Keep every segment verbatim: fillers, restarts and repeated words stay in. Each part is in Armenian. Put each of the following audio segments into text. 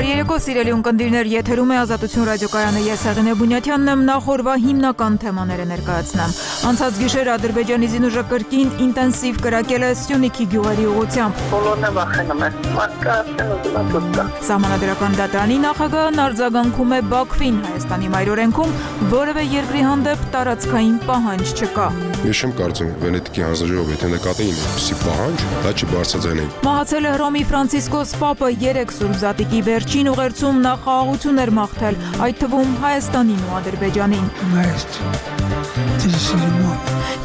Բարերեկո սիրելի ունկնդիրներ, եթերում է Ազատություն ռադիոկայանը, ես Հեղինե Բունյաթյանն եմ, նախ օրվա հիմնական թեմաները ներկայացնեմ։ Անցած գիշեր Ադրբեջանի զինուժը կրկին ինտենսիվ կրակել է Սյունիքի գյուղերի ուղղությամբ։ Բոլորն են վախենում են, մարդկային ուզում Սահմանադրական դատարանի նախագահն արձագանքում է Բաքվին, Հայաստանի մայրօրենքում որևէ երկրի հանդեպ տարածքային պահանջ չկա։ Ես չեմ կարծում Վենետիկի հանձնաժողովը եթե նկատեին այդպիսի պահանջ, դա չբարձրացնեին։ Մահացել է Հռոմի Ֆրանցիսկոս Պապը, երեք Սուրբ Զատիկի վերջին ուղերձում նա խաղաղություն էր մաղթել, այդ թվում Հայաստանին ու Ադրբեջանին։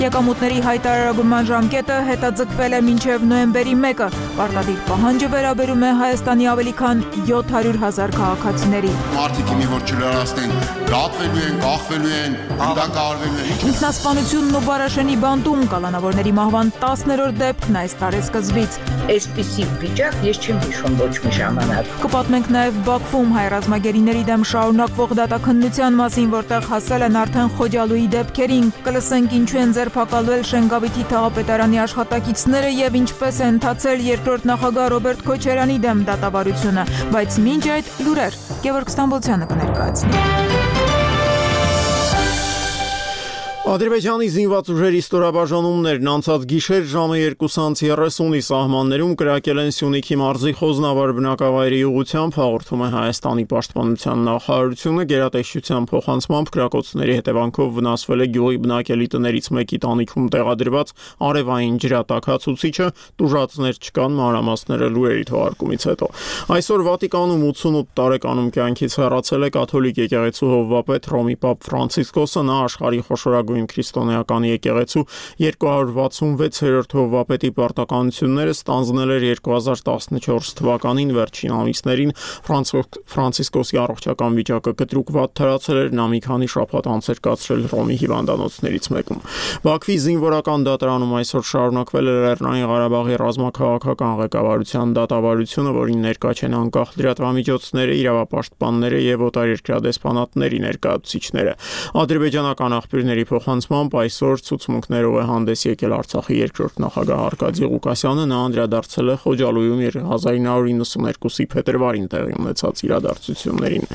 Եկամուտների հայտարարման ժամկետը հետաձգվել է մինչև նոյեմբերի մեկը։ Պարտադիր պահանջը վերաբերում է Հայաստանի ավելի քան յոթ հարյուր հազար քաղաքացիների։ Մարդիկ մի որ չլրացնեն, գատվելու են, կախվելու են, հանդակարվելու են։ Ինքնասպանությունն ու Բարաշենի բանտում կալանավորների մահվան տասներորդ դեպքն այս տարեսկզբից։ Այսպիսի վիճակ ես չեմ հիշում ոչ մի ժամանակ։ Կպատմենք նաև Բաքվում հայ ռազմագերիների դեմ շարունակվող դատաքննության մասին, որտեղ հասել են արդեն Խոջալույի դեպքերին։ Կլսենք ինչու են ձերբակալվել Շենգավիթի թաղապետարանի աշխատակիցները եւ ինչպես է ընթացել երկրորդ նախագահ Ռոբերտ Քոչարյանի դեմ դատավարությունը, բայց մինչ այդ լուրեր Գևորգ Ստամբոլցյանը կներկայացնի։ Ադրբեջանի զինված ուժերի ստորաբաժանումներն անցած գիշեր ժամը երկուսից երեսունի սահմաններում կրակել են Սյունիքի մարզի Խոզնավար բնակավայրի ուղղությամբ, հաղորդում է Հայաստանի պաշտպանության նախարարությունը, գերատեսչության փոխանցմամբ կրակոցների հետևանքով վնասվել է գյուղի բնակելի տներից մեկի տանիքում տեղադրված արևային ջրատաքացուցիչը, տուժածներ չկան, մանրամասները լուրերի թողարկումից հետո։ Այսօր Վատիկանում ութսունութ տարեկանում կյանքից հեռացել է կաթոլիկ եկեղեցու հովվապետ Հռոմի Պապ Ֆրանցիսկոսը, նա աշխարհի խոշորագույն քրիստոնեական եկեղեցու երկու հարյուր վաթսունվեցերորդ հովվապետի պարտականությունները ստանձնել էր երկու հազար տասնչորս թվականին վերջին ամիսներին Ֆրանցիսկոսի առողջական վիճակը կտրուկ վատ թարացել էր, նա մի քանի շաբաթ անց էր կացրել Հռոմի հիվանդանոցներից մեկում։ Բաքվի զինվորական դատարանում այսօր շարունակվել է Լեռնային Ղարաբաղի ռազմաքաղաքական ղեկավարության դատավարությունը, որին ներկա չեն անկախ լրատվամիջոցները, իրավապաշտպանները եւ օտարերկրյա դեսպանատների ներկայացուցիչները։ Ադրբեջանական աղբյուրների փոխանցմամբ այսօր ցուցմունքներով է հանդես եկել Արցախի երկրորդ նախագահ Արկադի Ղուկասյանը, նա անդրադարձել է Խոջալույում հազար ինը հարյուր իննսուներկուսի փետրվարին տեղի ունեցած իրադարձություններին։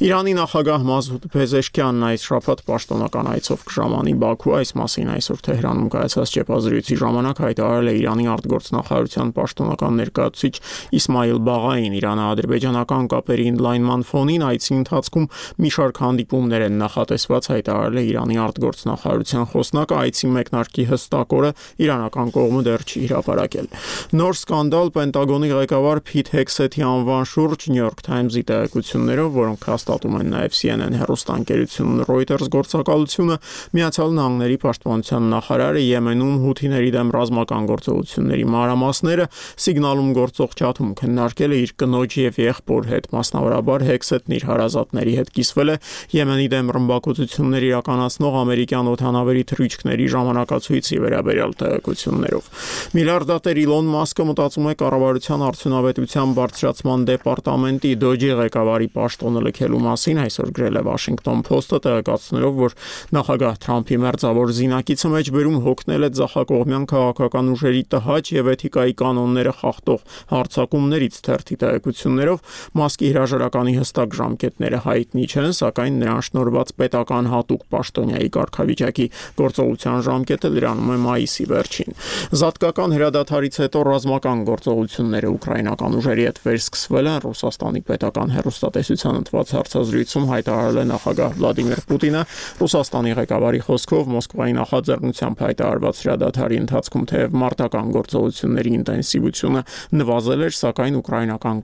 Իրանի նախագահ Մազուդ Փեզեշքյանն այս շաբաթ պաշտոնական այցով կժամանի Բաքու, այս մասին այսօր Թեհրանում կայացած ճեպազրույցի ժամանակ հայտարարել է Իրանի արտգործնախարարության պաշտոնական ներկայացուցիչ Իսմայիլ Բաղային։ Իրано-ադրբեջանական կապերի ընդլայնման ֆոնին այցի ընթացքում մի շարք հանդիպումներ են նախատեսված, հայտարարել է Իրանի արտգործնախարարության խոսնակը, այցի մեկնարկի հստակ օրը իրանական կողմը դեռ չի հրապարակել։ Նոր սկանդալ Պենտագոնի ղեկավար Փիթ Հեքսեթի անվան շուրջ New York Times-ի տեղեկություններով, որոնք հաստատում են նաև C N N հեռուստաընկերությունն Reuters գործակալությունը, Միացյալ Նահանգների պաշտպանության նախարարը Եմենում հութիների դեմ ռազմական գործողությունների մանրամասները սիգնալում գործող չաթում քննարկել է իր կնոջ եւ եղբոր հետ, մասնավորաբար Հեքսեթն իր հարազատների հետ կիսվել է Եմենի դեմ ռմբակոծություններ իրականացնող ամերիկյան օդանավերի թռիչքների ժամանակացույցի վերաբերյալ տեղեկություններով։ Միլիարդատեր Իլոն Մասկը մտածում է կառավարության արդյունավետության բարձրացման դեպարտամենտի Դոջի ղեկավարի պաշտոնը լքելու մասին, այսօր գրել է Washington Post-ը, տեղեկացնելով, որ նախագահ Թրամփի մերձավոր զինակիցը մեջբերում հոգնել է ձախակողմյան քաղաքական ուժերի տհաճ եւ էթիկայի կանոնները խախտող հարձակումներից, թերթի տեղեկություններով Մասկի հրաժարականի հստակ ժամկետները հայտնի չեն, սակայն նրան շնորհված պետական հատուկ պաշտոնյայի կարգավիճակի գործողության ժամկետը լրանում է մայիսի վերջին։ Զատկական հրադադարից հետո ռազմական գործողությունները ուկրաինական ուժերի հետ վերսկսվել են, Ռուսաստանի պետական հեռուստատեսության ընթված հարցազրույցում հայտարարել է նախագահ Վլադիմիր Պուտինը, Ռուսաստանի ղեկավարի խոսքով Մոսկվայի նախաձեռնությամբ հայտարարված հրադադարի ընթացքում թեև մարտական գործողությունների ինտենսիվությունը նվազել էր, սակայն ուկրաինական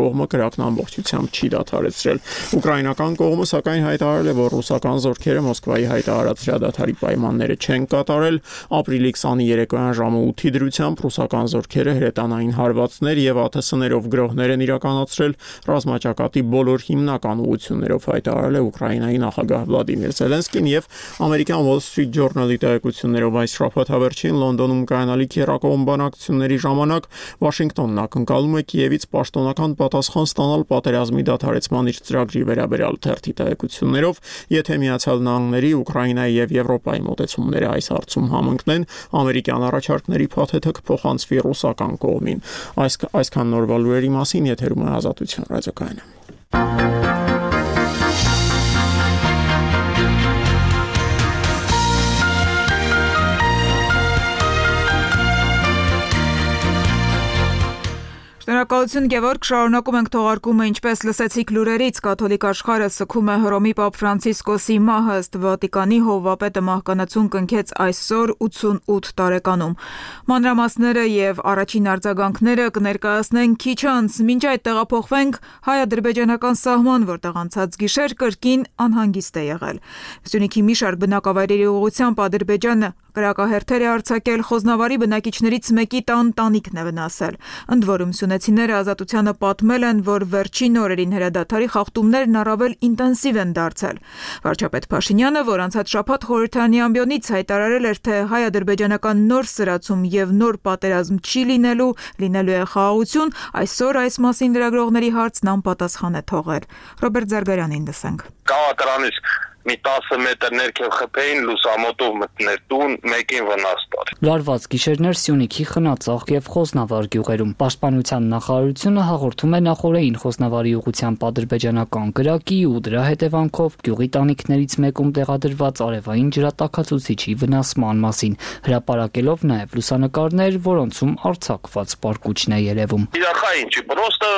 կողմը կրակն ամբողջությամբ չի դադարեցրել։ Ուկրաինական կողմը սակայն հայտարարել է, որ ռուսական զորքերը Մոսկվայի հայտարարած հրադադարի պայմանները չեն կատարել, ապրիլի քսանի երեկոյան ժամը ութի դրությամբ ռուսական զորքերը հրետանային հարվածներ եւ ԱԹՍ ներով գրոհներ են իրականացրել ռազմաճակատի բոլոր հիմնական ուղղություններով, հայտարարել է Ուկրաինայի նախագահ Վլադիմիր Զելենսկին եւ ամերիկյան Wall Street Journal-ի տեղեկություններով այս շաբաթավերջին Լոնդոնում կայանալիք երակողմ բանակցությունների ժամանակ Վաշինգտոնն ակնկալում է Կիևից պաշտոնական պատասխան ստանալ պատերազմի դադարեցման իր ծրագրի վերաբերյալ թերթի տեղեկություններով, եթե Միացյալ Նահանգների, Ուկրաինայի Ուկրաինայի եւ Եվրոպայի մոտեցումները այս հարցում համընկնեն, ամերիկյան առաջարկների փաթեթը կփոխանցվի ռուսական կողմին։ Այս այսքան նորվա լուրերի մասին եթերում է Ազատություն ռադիոկայանը։ Շնորհակալություն Գևորգ, շարունակում ենք թողարկումը, ինչպես լսեցիք լուրերից, կաթոլիկ աշխարհը սգում է Հռոմի Պապ Ֆրանցիսկոսի մահը, ըստ Վատիկանի հովվապետը մահկանացուն կնքեց այսօր ութսունութ տարեկանում։ Մանրամասները եւ առաջին արձագանքները կներկայացնենք քիչ անց, մինչ այդ տեղափոխվենք հայ-ադրբեջանական սահման, որտեղ անցած գիշեր կրկին անհանգիստ է եղել։ Սյունիքի մի շարք բնակավայրերի ուղղությամբ Ադրբեջանը կրակահերթեր է արձակել, Խոզնավարի բնակիչներից մեկի տան տանիքն է վնասել։ Ընդ որում սյունեցիները Ազատությանը պատմել են, որ վերջին օրերին հրադադարի խախտումներն առավել ինտենսիվ են դարձել։ Վարչապետ Փաշինյանը, որ անցած շաբաթ խորհրդարանի ամբիոնից հայտարարել էր, թե հայ-ադրբեջանական նոր սրացում եւ նոր պատերազմ չի լինելու, լինելու է խաղաղություն, այսօր այս մասին լրագրողների հարցն անպատասխան է թողել։ Ռոբերտ Զարգարյանին լսենք։ Կաղատարանից մի տասը մետր ներքև խփեին, լուսամոտով մտներ տուն, մեկին վնաս տար։ Լարված գիշերներ Սյունիքի Խնածաղ եւ Խոզնավար գյուղերում։ Պաշտպանության նախարարությունը հաղորդում է նախորդին Խոզնավարի ուղղությամբ ադրբեջանական կրակի ու դրա հետևանքով գյուղի տանիքներից մեկում տեղադրված արևային ջրատաքացուցիչի վնասման մասին, հրապարակելով նաեւ լուսանկարներ, որոնցում արձակված պարկուճն է երևում։ Իրախային չի, պրոստը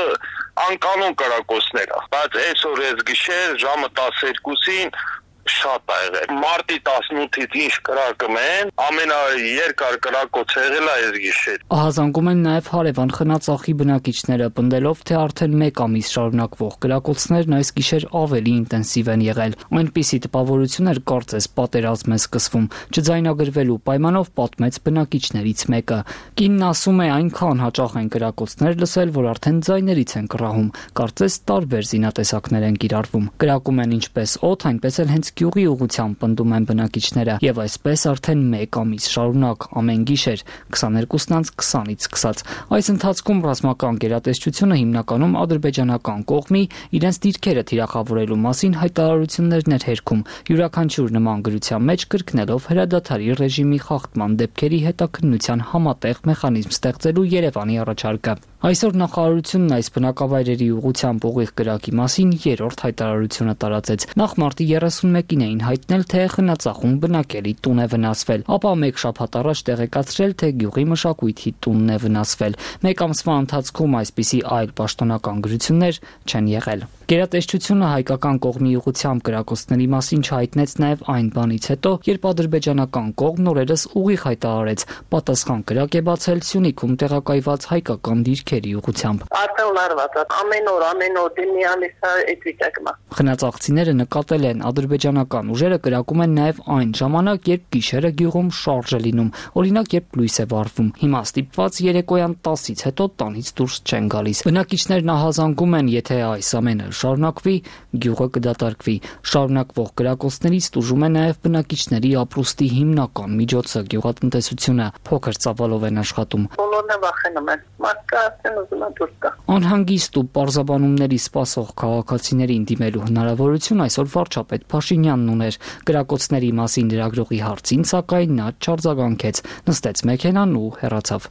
անկանոն կրակոցներ, բայց այսօր այս գիշեր ժամը տասներկուսին շատ է եղել։ Մարտի տասնութից ինչ կրակում են, ամենաերկար կրակոց եղել է այս գիշեր։ Ահազանգում են նաև հարևան Խնածաղի բնակիչները, պնդելով, թե արդեն մեկ ամիս շարունակվող կրակոցներն այս գիշեր ավելի ինտենսիվ են եղել։ Այնպիսի տպավորություններ կարծես պատերազմ է սկսվում, չձայնագրվելու պայմանով պատմեց բնակիչներից մեկը։ Կինն ասում է, այնքան հաճախ են կրակոցներ լսել, որ արդեն ձայներից են կռահում, կարծես տարբեր զինատեսակներ են կիրառվում։ Կրակում են ինչպես օդ, այնպես էլ հենց գյուղի ուղղությամբ, պնդում են բնակիչները, եւ այսպես արդեն մեկ ամիս շարունակ, ամեն գիշեր քսաներկուսն անց քսանից սկսած։ Այս ընթացքում ռազմական գերատեսչությունը հիմնականում ադրբեջանական կողմի իրենց դիրքերը թիրախավորելու մասին հայտարարություններն էր հերքում, յուրաքանչյուր նման գրության մեջ կրկնելով հրադադարի ռեժիմի խախտման դեպքերի հետաքննության համատեղ մեխանիզմ ստեղծելու Երևանի առաջարկը։ Այսօր նախարարությունն այս բնակավայրերի ուղղությամբ ուղիղ կրակի մասին երրորդ հայտարարությունը տարածեց։ Նախ մարտի երեսունմեկին էին հայտնել, թե Խնածաղում բնակելի տուն է վնասվել, ապա մեկ շաբաթ առաջ տեղեկացրել, թե գյուղի մշակույթի տունն է վնասվել։ Մեկ ամսվա ընթացքում այսպիսի այլ պաշտոնական գրություններ չեն եղել։ Գերատեսչությունը հայկական կողմի ուղղությամբ կրակոցների մասին չհայտնեց նաև այն բանից հետո, երբ ադրբեջանական կողմն օրերս ուղիղ հայտարարեց, պատասխան կրակ է բացել Սյունիքում տեղակայված հայկական դիրքերի ուղղությամբ։ Արդեն լարված է, ամեն օր, ամեն օր դիմի ամիս այդ վիճակն է։ Խնածաղցիները նկատել են, ադրբեջանական ուժերը կրակում են նաև այն ժամանակ, երբ գիշերը գյուղում շարժ է լինում, օրինակ երբ լույս է վառվում։ Հիմա ստիպված երեկոյան տասից հետո տանից դուրս չեն գալիս։ Բնակիչներն ահազանգում են, եթե այս ամենը շարունակվի, գյուղը կդատարկվի։ Շարունակվող կրակոցներից տուժում է նաև բնակիչների ապրուստի հիմնական միջոցը՝ գյուղատնտեսությունը, փոքր ծավալով են աշխատում։ Բոլորն վախենում են, մարդկա ասեն ուզում են դուրս գա։ Անհանգիստ ու պարզաբանումների սպասող քաղաքացիներին դիմելու հնարավորություն այսօր վարչապետ Փաշինյանն ուներ։ Կրակոցների մասին լրագրողի հարցին, սակայն նա չարձագանքեց, նստեց մեքենան ու հեռացավ։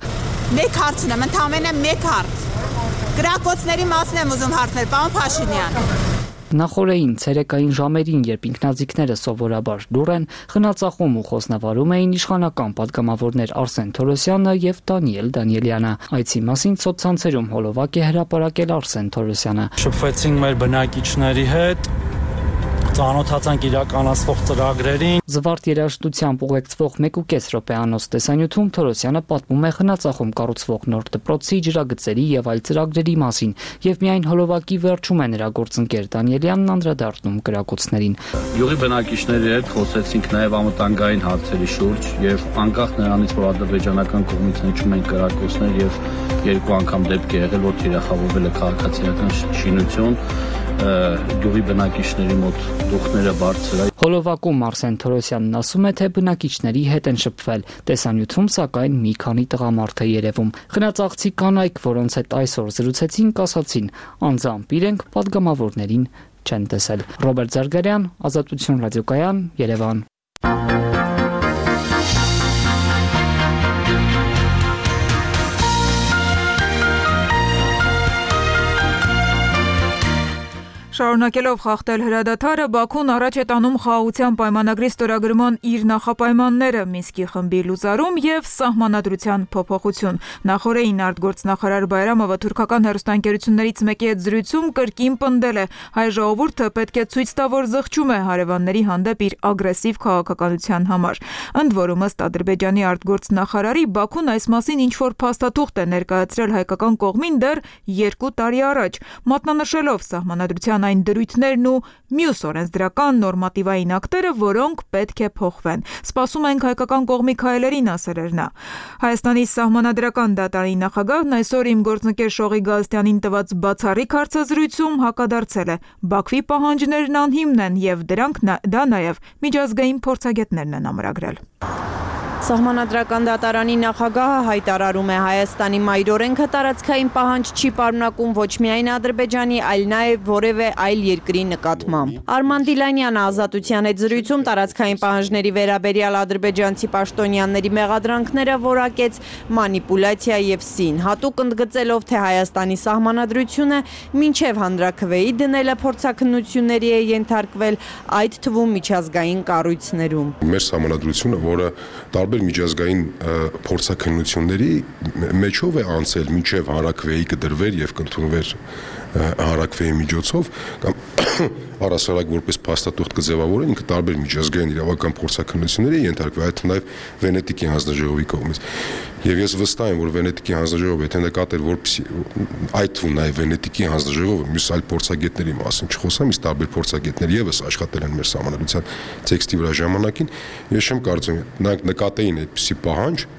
Մեկ հարց ունեմ, ընդամենը մեկ հարց։ Կրակոցների մասին եմ ուզում հարցնել, պարոն Փաշինյան։ Նախորդին ցերեկային ժամերին, երբ ինքնաձիգները սովորաբար լուռ են, Խնածաղում ու Խոզնավարում էին իշխանական պատգամավորներ Արսեն Թորոսյանը եւ Դանիել Դանիելյանը։ Այցի մասին սոցցանցերում հոլովակ է հրապարակել Արսեն Թորոսյանը։ Շփվեցինք մեր բնակիչների հետ, ծանոթացանք իրականացվող ծրագրերին։ Զվարթ երաժշտությամբ ուղեկցվող մեկուկես րոպեանոց տեսանյութում Թորոսյանը պատմում է Խնածաղում կառուցվող նոր դպրոցի, ջրագծերի եւ այլ ծրագրերի մասին, եւ միայն հոլովակի վերջում է նրա գործընկեր Դանիելյանն անդրադառնում կրակոցներին։ Յուղի բնակիչների հետ խոսեցինք նաեւ անվտանգային հարցերի շուրջ եւ անկախ նրանից, որ ադրբեջանական կողմից հնչում են կրակոցներ եւ երկու անգամ դեպք է եղել, որ թիրախավորվել է քաղաքացիական շինություն, գյուղի բնակիչների մոտ դուխները բարձր է։ Հոլովակում Արսեն Թորոսյանն ասում է, թե բնակիչների հետ են շփվել, տեսանյութում սակայն մի քանի տղամարդ է երևում։ Խնածաղցի կանայք, որոնց հետ այսօր զրուցեցինք, ասացին, անձամբ իրենք պատգամավորներին չեն տեսել։ Ռոբերտ Զարգարյան, Ազատություն ռադիոկայան, Երևան։ Շարունակելով խախտել հրադադարը, Բաքուն առաջ է տանում խաղաղության պայմանագրի ստորագրման իր նախապայմանները, Մինսկի խմբի լուծարում եւ սահմանադրության փոփոխություն։ Նախորդին արտգործնախարար Բայրամովը թուրքական հեռուստաընկերություններից մեկի հետ զրույցում կրկին պնդել է, հայ ժողովուրդը պետք է ցույց տա, որ զղջում է հարևանների հանդեպ իր ագրեսիվ քաղաքականության համար։ Ընդ որում, ըստ Ադրբեջանի արտգործնախարարի, Բաքուն այս մասին ինչ-որ փաստաթուղթ է ներկայացրել հայկական կողմին դեռ երկու տարի առաջ, մատնանշելով սահմանադրության այն դրույթներն ու մյուս օրենսդրական նորմատիվային ակտերը, որոնք պետք է փոխվեն։ Սպասում ենք հայկական կողմի քայլերին, ասել էր նա։ Հայաստանի սահմանադրական դատարանի նախագահն այսօր իմ գործընկեր Շողի Գալստյանին տված բացառիկ հարցազրույցում հակադարձել է. Բաքվի պահանջներն անհիմն են եւ դրանք դա նաեւ միջազգային փորձագետներն են ամրագրել։ Սահմանադրական դատարանի նախագահը հայտարարում է Հայաստանի մայրօրենքը տարածքային պահանջ չի պարունակում ոչ միայն Ադրբեջանի, այլ նաև որևէ այլ երկրի նկատմամբ։ Արման Դիլանյանը Ազատության հետ զրույցում տարածքային պահանջների վերաբերյալ ադրբեջանցի պաշտոնյաների մեղադրանքները որակեց մանիպուլյացիա եւ սին, հատուկ ընդգծելով, թե Հայաստանի սահմանադրությունը մինչև հանրաքվեի դնելը փորձաքննությունների է ենթարկվել, այդ թվում միջազգային կառույցներում։ Մեր սահմանադրությունը, որը տարբեր միջազգային փորձաքննությունների մեջով է անցել մինչև հանրաքվեի կդրվեր եւ կընդունվեր հանրաքվեի միջոցով կամ առասարակ որպես փաստաթուղթ կձևավորեն, ինքը տարբեր միջազգային իրավական փորձաքննությունների ենթարկվել, այդ նաեւ Վենետիկի հանձնաժողովի կողմից։ Եվ ես վստահ եմ, որ Վենետիկի հանձնաժողովը եթե նկատեր, որպեսզի այդ թվում նաեւ Վենետիկի հանձնաժողովը մյուս այլ փորձագետների մասին չխոսամ, իսկ տարբեր փորձագետներ եւս աշխատել են մեր սահմանադրության տեքստի վրա ժամանակին, ես չեմ կարծում նրանք նկատեին այդպիսի պահանջ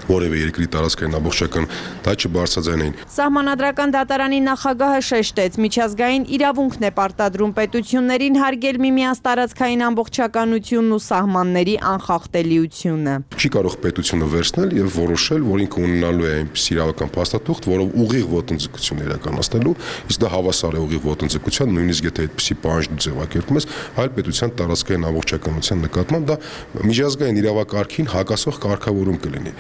որևէ երկրի տարածքային ամբողջական դա չբարձրաձայնեին։ Սահմանադրական դատարանի նախագահը շեշտեց, միջազգային իրավունքն է պարտադրում պետություններին հարգել միմյանց տարածքային ամբողջականությունն ու սահմանների անխախտելիությունը։ Չի կարող պետությունը վերցնել եւ որոշել, որ ինքը ունենալու է այնպես իրավական փաստաթուղթ, որով ուղիղ ոտնձգություն իրականացնելու, իսկ դա հավասար է ուղիղ ոտնձգության, նույնիսկ եթե այդպիսի պահանջ դու ձևակերպում ես այլ պետության տարածքային ամբողջականության նկատմամբ, դա միջազգային իրավակարգին հակասող կարգավորում կլինի։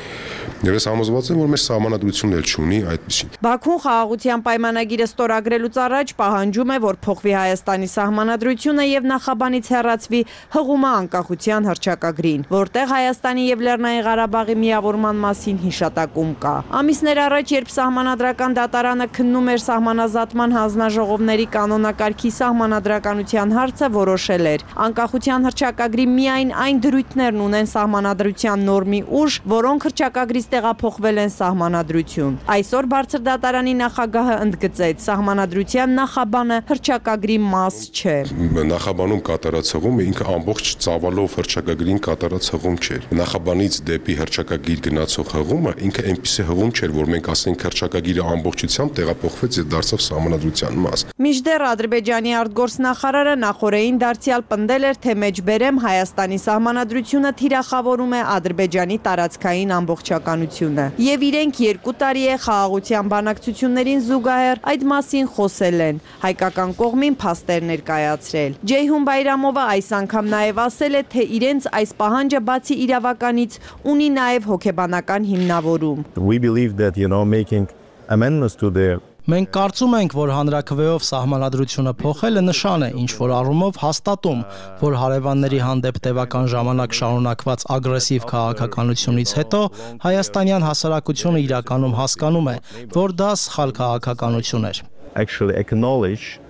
Եվ ես համոզված եմ, որ մեր սահմանադրությունն էլ չունի այդպիսին։ Բաքուն խաղաղության պայմանագիրը ստորագրելուց առաջ պահանջում է, որ փոխվի Հայաստանի սահմանադրությունը եւ նախաբանից հեռացվի հղումը անկախության հռչակագրին, որտեղ Հայաստանի եւ Լեռնային Ղարաբաղի միավորման մասին հիշատակում կա։ Ամիսներ առաջ, երբ սահմանադրական դատարանը քննում էր սահմանազատման հանձնաժողովների կանոնակարգի սահմանադրականության հարցը, որոշել էր անկախության հռչակագրի միայն այն դրույթներն ունեն սահմանադրության նորմի ուժ, որոնք հռչակագրից տեղափոխվել են սահմանադրություն։ Այսօր բարձր դատարանի նախագահը ընդգծեց, սահմանադրության նախաբանը հռչակագրի մաս չէ։ Նախաբանում կատարած հղումը ինքը ամբողջ ծավալով հռչակագրին կատարած հղում չէր։ Նախաբանից դեպի հռչակագիր գնացող հղումը ինքը այնպիսի հղում չէր, որ մենք ասենք հռչակագիրը ամբողջությամբ տեղափոխվեց եւ դարձավ սահմանադրության մաս։ Մինչդեռ Ադրբեջանի արտգործնախարարը նախորդին դարձյալ պնդել էր, թե մեջբերեմ Հայաստանի սահմանադրությունը թիրախավորում է Ադրբեջանի տարածքային ամբողջականությունը։ Եվ իրենք երկու տարի է խաղաղության բանակցություններին զուգահեռ այդ մասին խոսել են, հայկական կողմին փաստեր ներկայացրել։ Ջեյհուն Բայրամովը այս անգամ նաև ասել է, թե իրենց այս պահանջը բացի իրավականից ունի նաև հոգեբանական հիմնավորում։ We believe that, you know, making amendments to the Մենք կարծում ենք, որ հանրաքվեով սահմանադրությունը փոխելը նշան է, ինչ որ առումով հաստատում, որ հարևանների հանդեպ տևական ժամանակ շարունակված ագրեսիվ քաղաքականությունից հետո հայաստանյան հասարակությունը իրականում հասկանում է, որ դա սխալ քաղաքականություն էր։ Actually acknowledge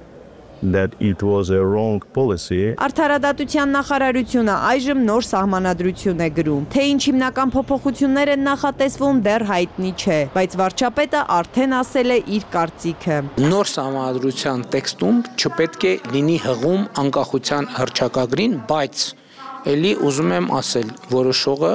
that it was a wrong policy. Արդարադատության նախարարությունը այժմ նոր սահմանադրություն է գրում։ Թե ինչ հիմնական փոփոխություններ են նախատեսվում, դեռ հայտնի չէ, բայց վարչապետը արդեն ասել է իր կարծիքը։ Նոր սահմանադրության տեքստում չպետք է լինի հղում անկախության հռչակագրին, բայց ելի ուզում եմ ասել, որոշողը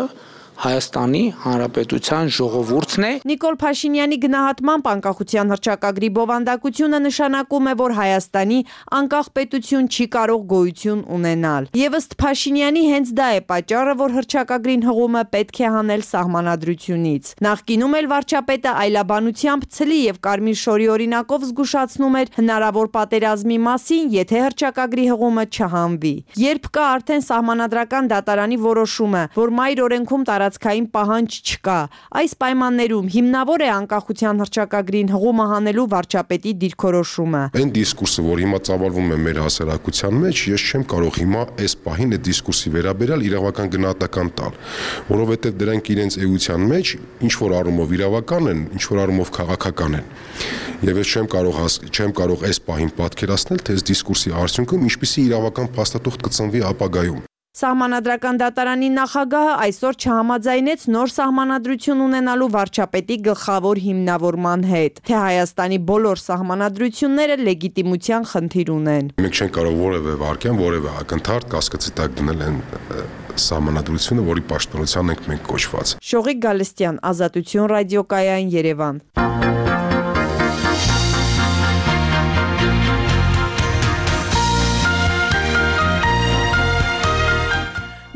Հայաստանի Հանրապետության ժողովուրդն է։ Նիկոլ Փաշինյանի գնահատմամբ անկախության հռչակագրի բովանդակությունը նշանակում է, որ Հայաստանի անկախ պետություն չի կարող գոյություն ունենալ։ Եվ ըստ Փաշինյանի հենց դա է պատճառը, որ հռչակագրին հղումը պետք է հանել սահմանադրությունից։ Նախկինում էլ վարչապետը այլաբանությամբ ցլի եւ կարմիր շորի օրինակով զգուշացնում էր հնարավոր պատերազմի մասին, եթե հռչակագրի հղումը չհանվի։ Երբ կա արդեն սահմանադրական դատարանի որոշումը, որ մայր օրենքում տարածքային տարածքային պահանջ չկա։ Այս պայմաններում հիմնավոր է անկախության հռչակագրին հղումը հանելու վարչապետի դիրքորոշումը։ Այն դիսկուրսը, որ հիմա ծավալվում է մեր հասարակության մեջ, ես չեմ կարող հիմա այս պահին այդ դիսկուրսի վերաբերյալ իրավական գնահատական տալ, որովհետև դրանք իրենց էության մեջ ինչ որ առումով իրավական են, ինչ որ առումով քաղաքական են։ Եվ ես չեմ կարող չեմ կարող այս պահին պատկերացնել, թե այս դիսկուրսի արդյունքում ինչպիսի իրավական փաստաթուղթ կծնվի ապագայում։ Սահմանադրական դատարանի նախագահը այսօր չհամաձայնեց նոր սահմանադրություն ունենալու վարչապետի գլխավոր հիմնավորման հետ, թե Հայաստանի բոլոր սահմանադրությունները լեգիտիմության խնդիր ունեն։ Մենք չենք կարող որևէ վարքյան, որևէ ակնթարթ կասկածի տակ դնել այն սահմանադրությունը, որի պաշտպանության ենք մենք կոչված։ Շողիկ Գալստյան, Ազատություն ռադիոկայան, Երևան։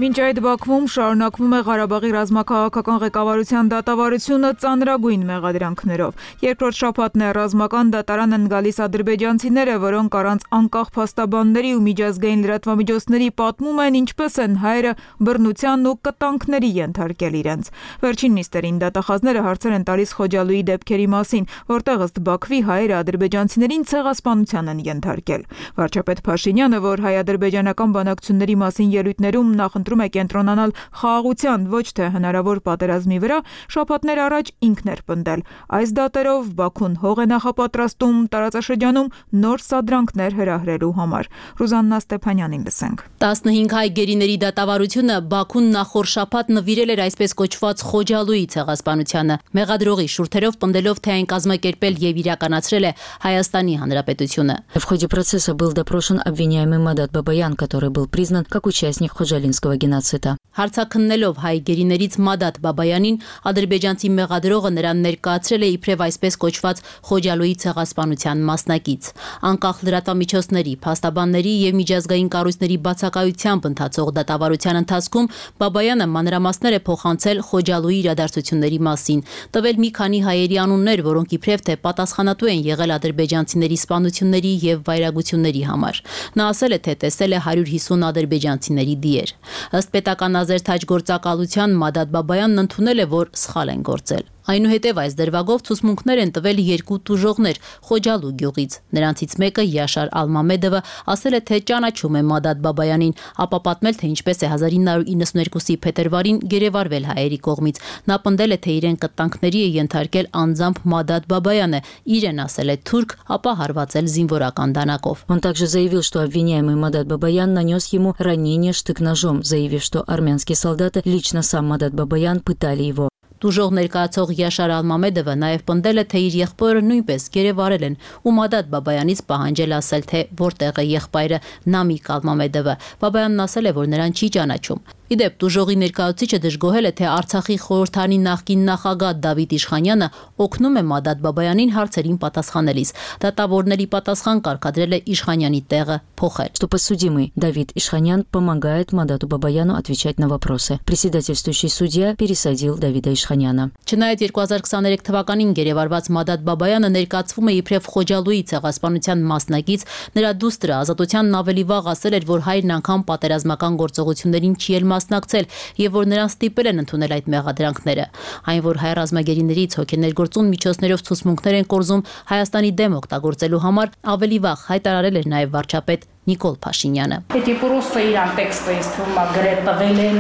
Մինչ այդ Բաքվում շարունակվում է Ղարաբաղի ռազմաքաղաքական ղեկավարության դատավարությունը ծանրագույն մեղադրանքներով։ Երկրորդ շաբաթն է ռազմական դատարան են գալիս ադրբեջանցիները, որոնք առանց անկախ փաստաբանների ու միջազգային լրատվամիջոցների պատմում են ինչպես են հայերը բռնության ու կտանքների ենթարկել իրենց։ Վերջին նիստերին դատախազները հարցեր են տալիս Խոջալույի դեպքերի մասին, որտեղ ըստ Բաքվի հայերը ադրբեջանցիներին ցեղասպանության են ենթարկել։ Վարչապետ Փաշինյանը, որ հայ-ադրբեջանական բանակցությունների մասին ելույթներում նախընտրում է կենտրոնանալ խաղաղության, ոչ թե հնարավոր պատերազմի վրա, շաբաթներ առաջ ինքն էր պնդել։ Այս դատերով Բաքուն հող է նախապատրաստում տարածաշրջանում նոր սադրանքներ հրահրելու համար։ Ռուզաննա Ստեփանյանին լսենք։ տասնհինգ հայ գերիների դատավարությունը Բաքուն նախորդ շաբաթ նվիրել էր այսպես кոչված Խոջալույի ցեղասպանությանը, մեղադրողի շուրթերով պնդելով, թե այն կազմակերպել եւ իրականացրել է Հայաստանի Հանրապետությունը։ В ходе процесса был допрошен обвиняемый Мадат Бабаян, который был признан как участник Ходжалинского գենոցիդը։ Հարցաքննելով հայ գերիներից Մադատ Բաբայանին, ադրբեջանցի մեղադրողը նրան ներկայացրել է իբրև այսպես կոչված Խոջալույի ցեղասպանության մասնակից։ Անկախ լրատվամիջոցների, փաստաբանների եւ միջազգային կառույցների բացակայությամբ ընթացող դատավարության ընթացքում Բաբայանը մանրամասներ է փոխանցել Խոջալույի իրադարձությունների մասին, տվել մի քանի հայերի անուններ, որոնք իբրև թե պատասխանատու են եղել ադրբեջանցիների սպանությունների եւ վայրագությունների համար։ Նա ասել է, թե տեսել է հարյուր հիսուն ադրբեջանցիների դիեր։ Ըստ պետական ազերթաջ գործակալության Մադատ Բաբայանն ընդունել է, որ սխալ են գործել։ Այնուհետև այս դրվագով ցուցմունքներ են տվել երկու տուժողներ Խոջալու գյուղից։ Նրանցից մեկը Յաշար Ալմամեդովը ասել է, թե ճանաչում է Մադատ Բաբայանին, ապա պատմել, թե ինչպես է հազար ինը հարյուր իննսունհինգի փետրվարին գերեվարվել հայերի կողմից։ Նա պնդել է, թե իրեն կտանքների է ենթարկել անձամբ Մադատ Բաբայանը, իրեն ասել է թուրք, ապա հարվածել զինվորական դանակով։ Он также заявил, что обвиняемый Мадат Бабаян нанес ему ранение штык-ножом, заявив, что армянские солдаты, лично сам Мадат Бабаян, пытали его. Տուժող ներկայացող Յաշար Ալմամեդովը նաև պնդել է, թե իր եղբայրը նույնպես գերեվարել են ու Մադատ Բաբայանից պահանջել ասել, թե որտեղ է եղբայրը Նամիկ Ալմամեդովը։ Բաբայանն ասել է, որ նրան չի ճանաչում։ Իդեպ տուժողի ներկայացուցիչը դժգոհել է, թե Արցախի խորհրդանի նախկին նախագահ Դավիթ Իշխանյանը օգնում է Մադատ Բաբայանին հարցերին պատասխանելիս։ Դատավորների պատասխան կարգադրել է Իշխանյանի տեղը փոխել։ Что подсудимый Давид Ишханян помогает Мадату Бабаяну отвечать на вопросы. Председательствующий судья пересадил Давида Ишханяна. Չնայած երկու հազար քսաներեք թվականին գերեվարված Մադատ Բաբայանը ներկայացվում է իբրև Խոջալույի ցեղասպանության մասնակից, նրա դուստրը Ազատությանն ավելի վաղ ասել էր, որ հայրն անգամ պատերազմական գործողություններին չի էլ մասնակցել եւ որ նրան ստիպել են ընդունել այդ մեղադրանքները։ Այն, որ հայ ռազմագերիներից հոգեներգործուն միջոցներով ցուցմունքներ են կորզում Հայաստանի դեմ օգտագործելու համար, ավելի վաղ հայտարարել էր նաեւ վարչապետ Նիկոլ Փաշինյանը։ Էդի պրոստը իրան տեքստը ինձ թվում է գրել տվել են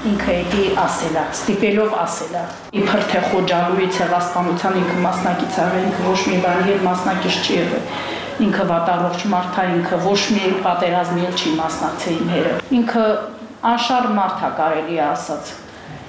ինքը էդի ասելա, ստիպելով ասելա։ Իբր թե Խոջալույի ցեղասպանության ինքը մասնակից աղ, ինքը ոչ մի բանի հետ մասնակից չի եղել։ Ինքը վատառողջ մարդ է, ինքը ոչ մի պատերազմի էլ չի մասնակցել իմ հերը։ Ինքը անշարժ մարդ է, կարելի է ասած։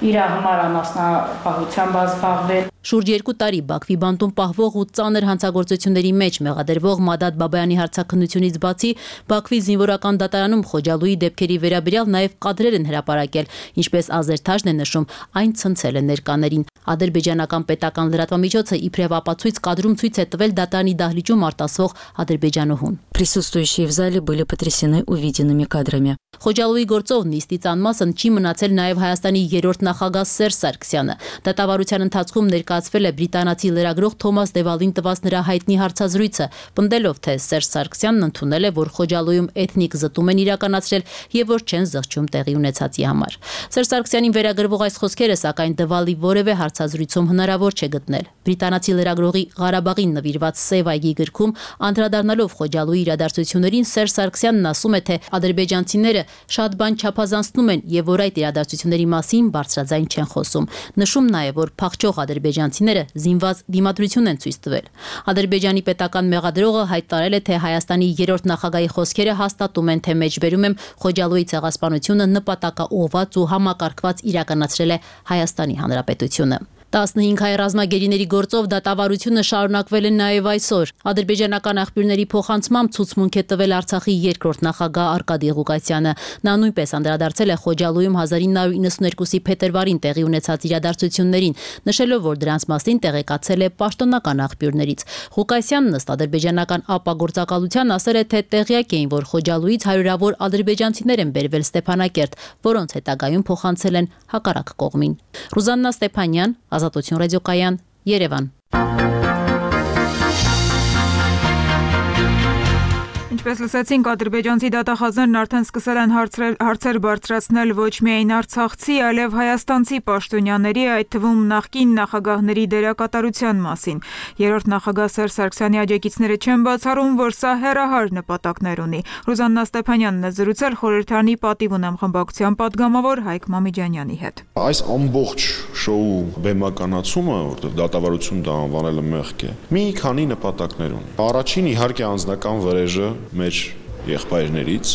Իր համար անասնապահությամբ զբաղվել։ Շուրջ երկու տարի Բաքվի բանտում պահվող ու ծանր հանցագործությունների մեջ մեղադրվող Մադատ Բաբայանի հարցաքննությունից բացի Բաքվի զինվորական դատարանում Խոջալույի դեպքերի վերաբերյալ նաև կադրեր են հրապարակել, ինչպես Ազերթաժն է նշում, այն ցնցել է ներկաներին։ Ադրբեջանական պետական լրատվամիջոցը իբրև ապացույց կադրում ցույց է տվել դատարանի դահլիճում արտասվող ադրբեջանուհուն։ Присутствующие в зале были потрясены увиденными кадрами. Խոջալույի գործով նիստից անմասն չի մնացել նաև Հայաստանի երրորդ նախագահ Սերժ Սարգսյանը։ Դատավարության ընթացքում ներկայացվել է բրիտանացի լրագրող Թոմաս Դևալին տված նրա հայտնի հարցազրույցը, պնդելով, թե Սերժ Սարգսյանն ընդունել է, որ Խոջալույում էթնիկ զտում են իրականացրել եւ որ չեն զղջում տեղի ունեցածի համար։ Սերժ Սարգսյանին վերագրվող այս խոսքերը, սակայն Դևալի որևէ հարցազրույցում հնարավոր չէ գտնել։ Բրիտանացի լրագրողի Ղարաբաղին նվիրված Սև այգի գրքում անդրադառնալով Խոջալույի իրադարձություններին Սերժ Սարգսյանն ասում է, թե ադրբեջանցիները շատ բան չափազանցնում են եւ որ այդ իրադարձությունների մասին բարձրաձայն չեն խոսում։ Նշում նաեւ, որ փախչող ադրբեջանցիները զինված դիմադրություն են ցույց տվել։ Ադրբեջանի պետական մեղադրողը հայտարարել է, թե Հայաստանի երրորդ նախագահի խոսքերը հաստատում են, թե մեջբերում եմ Խոջալույի ցեղասպանությունը նպատակաուղղված ու համակարգված իրականացրել է Հայաստանի Հանրապետությունը։ տասնհինգ հայ ռազմագերիների գործով դատավարությունը շարունակվել է նաև այսօր։ Ադրբեջանական աղբյուրների փոխանցմամբ ցուցմունք է տվել Արցախի երկրորդ նախագահ Արկադի Ղուկասյանը։ Նա նույնպես անդրադարձել է Խոջալույում հազար ինը հարյուր իննսունեքուսի փետրվարին տեղի ունեցած իրադարձություններին, նշելով, որ դրանց մասին տեղեկացել է պաշտոնական աղբյուրներից։ Ղուկասյանն ըստ ադրբեջանական ԱՊԱ գործակալության ասել է, թե տեղյակ էին, որ Խոջալույից հարյուրավոր ադրբեջանցիներ են բերվել Ստեփանակերտ, որոնց հետագայում փոխանցել են հակառակ կողմին։ Ռուզաննա Ստեփանյան, Ազատություն ռադիոկայան, Երևան։ Ինչպես լսեցինք, ադրբեջանցի դատախազներն արդեն սկսել են հարցեր բարձրացնել ոչ միայն արցախցի, այլև հայաստանցի պաշտոնյաների, այդ թվում նախկին նախագահների դերակատարության մասին։ Երրորդ նախագահ Սերժ Սարգսյանի աջակիցները չեն բացառում, որ սա հեռահար նպատակներ ունի։ Ռուզաննա Ստեփանյանն է զրուցել խորհրդարանի պատիվ ունեմ խմբակցության падգամավոր Հայկ Մամիջանյանի հետ։ Այս ամբողջ շոու բեմականացումը, որտեղ դատավարություն դա անվանելը մեղք է, մի քանի նպատակներ ունի։ Առաջին իհարկե անձնական վրեժը մեր եղբայրներից,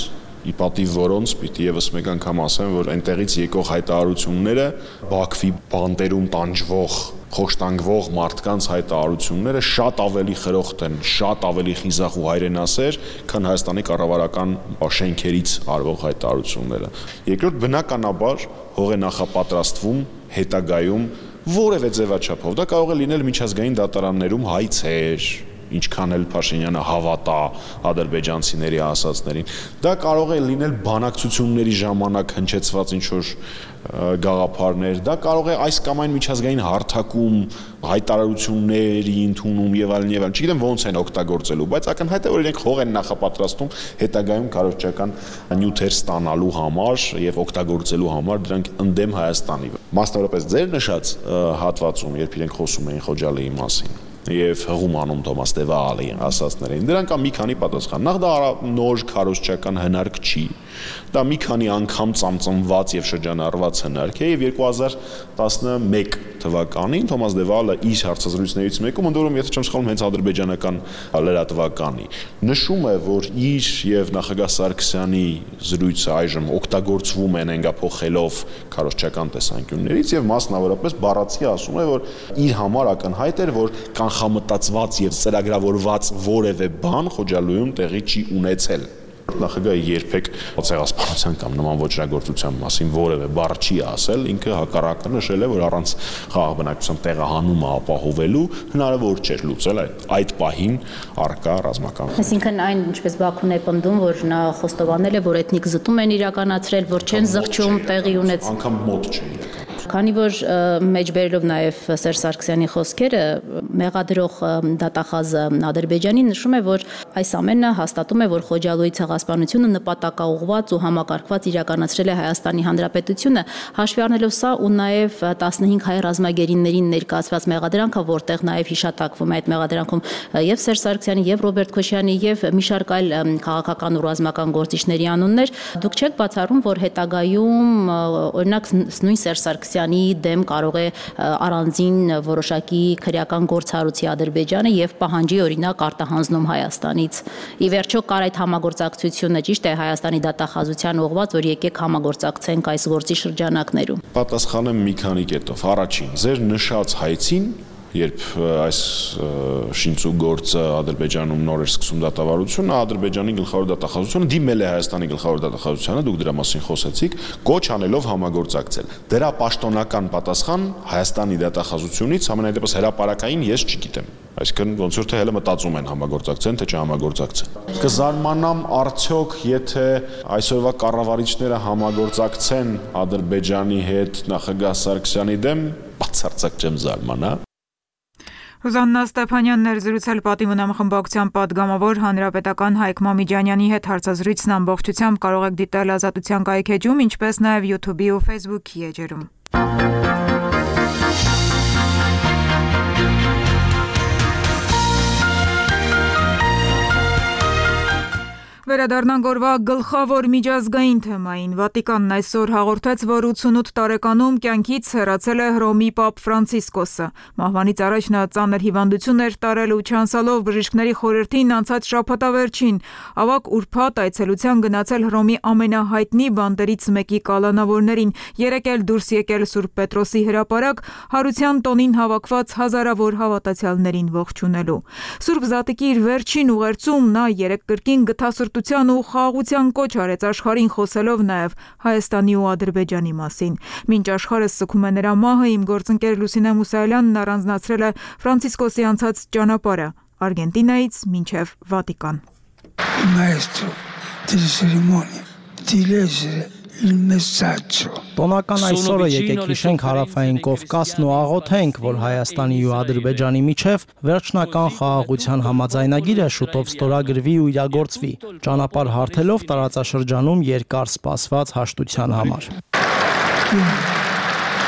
ի պատիվ որոնց պիտի եւս մեկ անգամ ասեմ, որ այնտեղից եկող հայտարարությունները Բաքվի բանտերում տանջվող, խոշտանգվող մարդկանց հայտարարությունները շատ ավելի խրոխտ են, շատ ավելի խիզախ ու հայրենասեր, քան Հայաստանի կառավարական շենքերից արվող հայտարարությունները։ Երկրորդ, բնականաբար հող է նախապատրաստվում հետագայում որևէ ձևաչափով։ Դա կարող է լինել միջազգային դատարաններում հայցեր, ինչքան էլ Փաշինյանը հավատա ադրբեջանցիների ասածներին։ Դա կարող է լինել բանակցությունների ժամանակ հնչեցված ինչ-որ գաղափարներ, դա կարող է այս կամ այն միջազգային հարթակում հայտարարությունների ընդունում եւ այլն եւ այլն։ Չգիտեմ ոնց են օգտագործելու, բայց ակնհայտ է, որ իրենք հող են նախապատրաստում հետագայում քարոզչական նյութեր ստանալու համար եւ օգտագործելու համար դրանք ընդդեմ Հայաստանի։ Մասնավորապես ձեր նշած հատվածում, երբ իրենք խոսում էին Խոջալիի մասին եւ հղում անում Թոմաս Դևալի ասածներին, դրանք կա մի քանի պատասխան։ Նախ դա նոր քարոզչական հնարք չի, դա մի քանի անգամ ծամծմված եւ շրջանառված հնարք է եւ երկու հազար տասնմեկ թվականին Թոմաս Դևալը իր հարցազրույցներից մեկում, ընդ որում եթե չեմ սխալվում հենց ադրբեջանական լրատվականի, նշում է, որ իր եւ նախագահ Սարգսյանի զրույցը այժմ օգտագործվում են հենգափոխելով քարոզչական տեսանկյուններից եւ մասնավորապես բառացի ասում է, որ իր համար ակնհայտ էր, որ կանխամտածված եւ ծրագրավորված որևէ բան Խոջալույում տեղի չի ունեցել։ Նախագահը երբեք ցեղասպանության կամ նման ոչրագործության մասին որևէ բառ չի ասել, ինքը հակառակը նշել է, որ առանց խաղաղ բնակչության տեղահանումը ապահովելու հնարավոր չէր լուծել այդ այդ պահին առկա ռազմական։ Այսինքն այն, ինչպես Բաքուն է պնդում, որ նա խոստովանել է, որ էթնիկ զտում են իրականացրել, որ չեն զղջում տեղի ունեցել։ Անկամ մոտ չէ իրական։ Քանի որ մեջբերելով նաև Սերժ Սարգսյանի խոսքերը, մեղադրող դատախազը Ադրբեջանին նշում է, որ այս ամենը հաստատում է, որ Խոջալույի ցեղասպանությունը նպատակաուղղված ու համակարգված իրականացրել է Հայաստանի Հանրապետությունը, հաշվի առնելով սա ու նաև տասնհինգ հայ ռազմագերիներին ներկայացված մեղադրանքը, որտեղ նաև հիշատակվում է այդ մեղադրանքում եւ Սերժ Սարգսյանի եւ Ռոբերտ Քոչյանի եւ մի շարք այլ քաղաքական ու ռազմական գործիչների անուններ, դուք չեք բացառում, որ հետագայում օրինակ նույն Սերժ Սարգսյանի դեմ կարող է առանձին որոշակի քրեական գործառույթի Ադրբեջանը եւ պահանջի օրինակ արտահանձնում Հայաստանից։ Ի վերջո կար այդ համագործակցությունը, ճիշտ է, Հայաստանի դատախազության ուղղված, որ եկեք համագործակցենք այս գործի շրջանակներում։ Պատասխանը մի քանի կետով։ Առաջին, ձեր նշած հայցին երբ այս շինծու գործը Ադրբեջանում նոր էր սկսում դատավարությունը, Ադրբեջանի գլխավոր դատախազությունը դիմել է Հայաստանի գլխավոր դատախազությանը, դուք դրա մասին խոսեցիք, կոչ անելով համագործակցել։ Դրա պաշտոնական պատասխան Հայաստանի դատախազությունից ամենայդեպս հրապարակային ես չգիտեմ։ Այսինքն ոնց որ թե հələ մտածում են համագործակցեն, թե չհամագործակցեն։ Կզարմանամ արդյոք, եթե այսօրվա կառավարիչները համագործակցեն Ադրբեջանի հետ նախագահ Սարգսյանի դեմ, բացարձակ չեմ զարմանա։ Ռուզաննա Ստեփանյանն էր զրուցել Պատիվ խմբակցության պատգամավոր հանրապետական Հայկ Մամիջանյանի հետ հարցազրույցն ամբողջությամբ կարող եք դիտել Ազատության կայքեջում, ինչպես նաև YouTube-ի ու Facebook-ի էջերում։ Վերադառնանք օրվա գլխավոր միջազգային թեմային։ Վատիկանն այսօր հաղորդեց, որ ութսունութ տարեկանում կյանքից հեռացել է Հռոմի Պապ Ֆրանցիսկոսը։ Մահվանից առաջ նա ծանր հիվանդություն էր տարել ու չանցալով բժիշկների խորհրդին անցած շաբաթավերջին ավագ ուրբաթ այցելության գնացել Հռոմի ամենահայտնի բանտերից մեկի կալանավորներին, երեկ էլ դուրս եկել Սուրբ Պետրոսի հրապարակ հարության տոնին հավաքված հազարավոր հավատացյալներին ողջունելու։ Սուրբ Զատիկի իր վերջին ուղերձում նա երեկ կրկին գթասրտության ու խաղաղության կոչ արեց աշխարհին, խոսելով նաև Հայաստանի ու Ադրբեջանի մասին։ Մինչ աշխարհը սգում է նրա մահը, իմ գործընկեր Լուսինե Մուսայելյանն առանձնացրել է Ֆրանցիսկոսի անցած ճանապարհը Արգենտինայից մինչև Վատիկան։ Maestro delle cerimonie di leggere il messaggio. Տոնական այսօրը եկեք հիշենք հարավային Կովկասն ու աղոթենք, որ Հայաստանի ու Ադրբեջանի միջև վերջնական խաղաղության համաձայնագիրը շուտով ստորագրվի ու իրագործվի, ճանապարհ հարթելով տարածաշրջանում երկար սպասված հաշտության համար։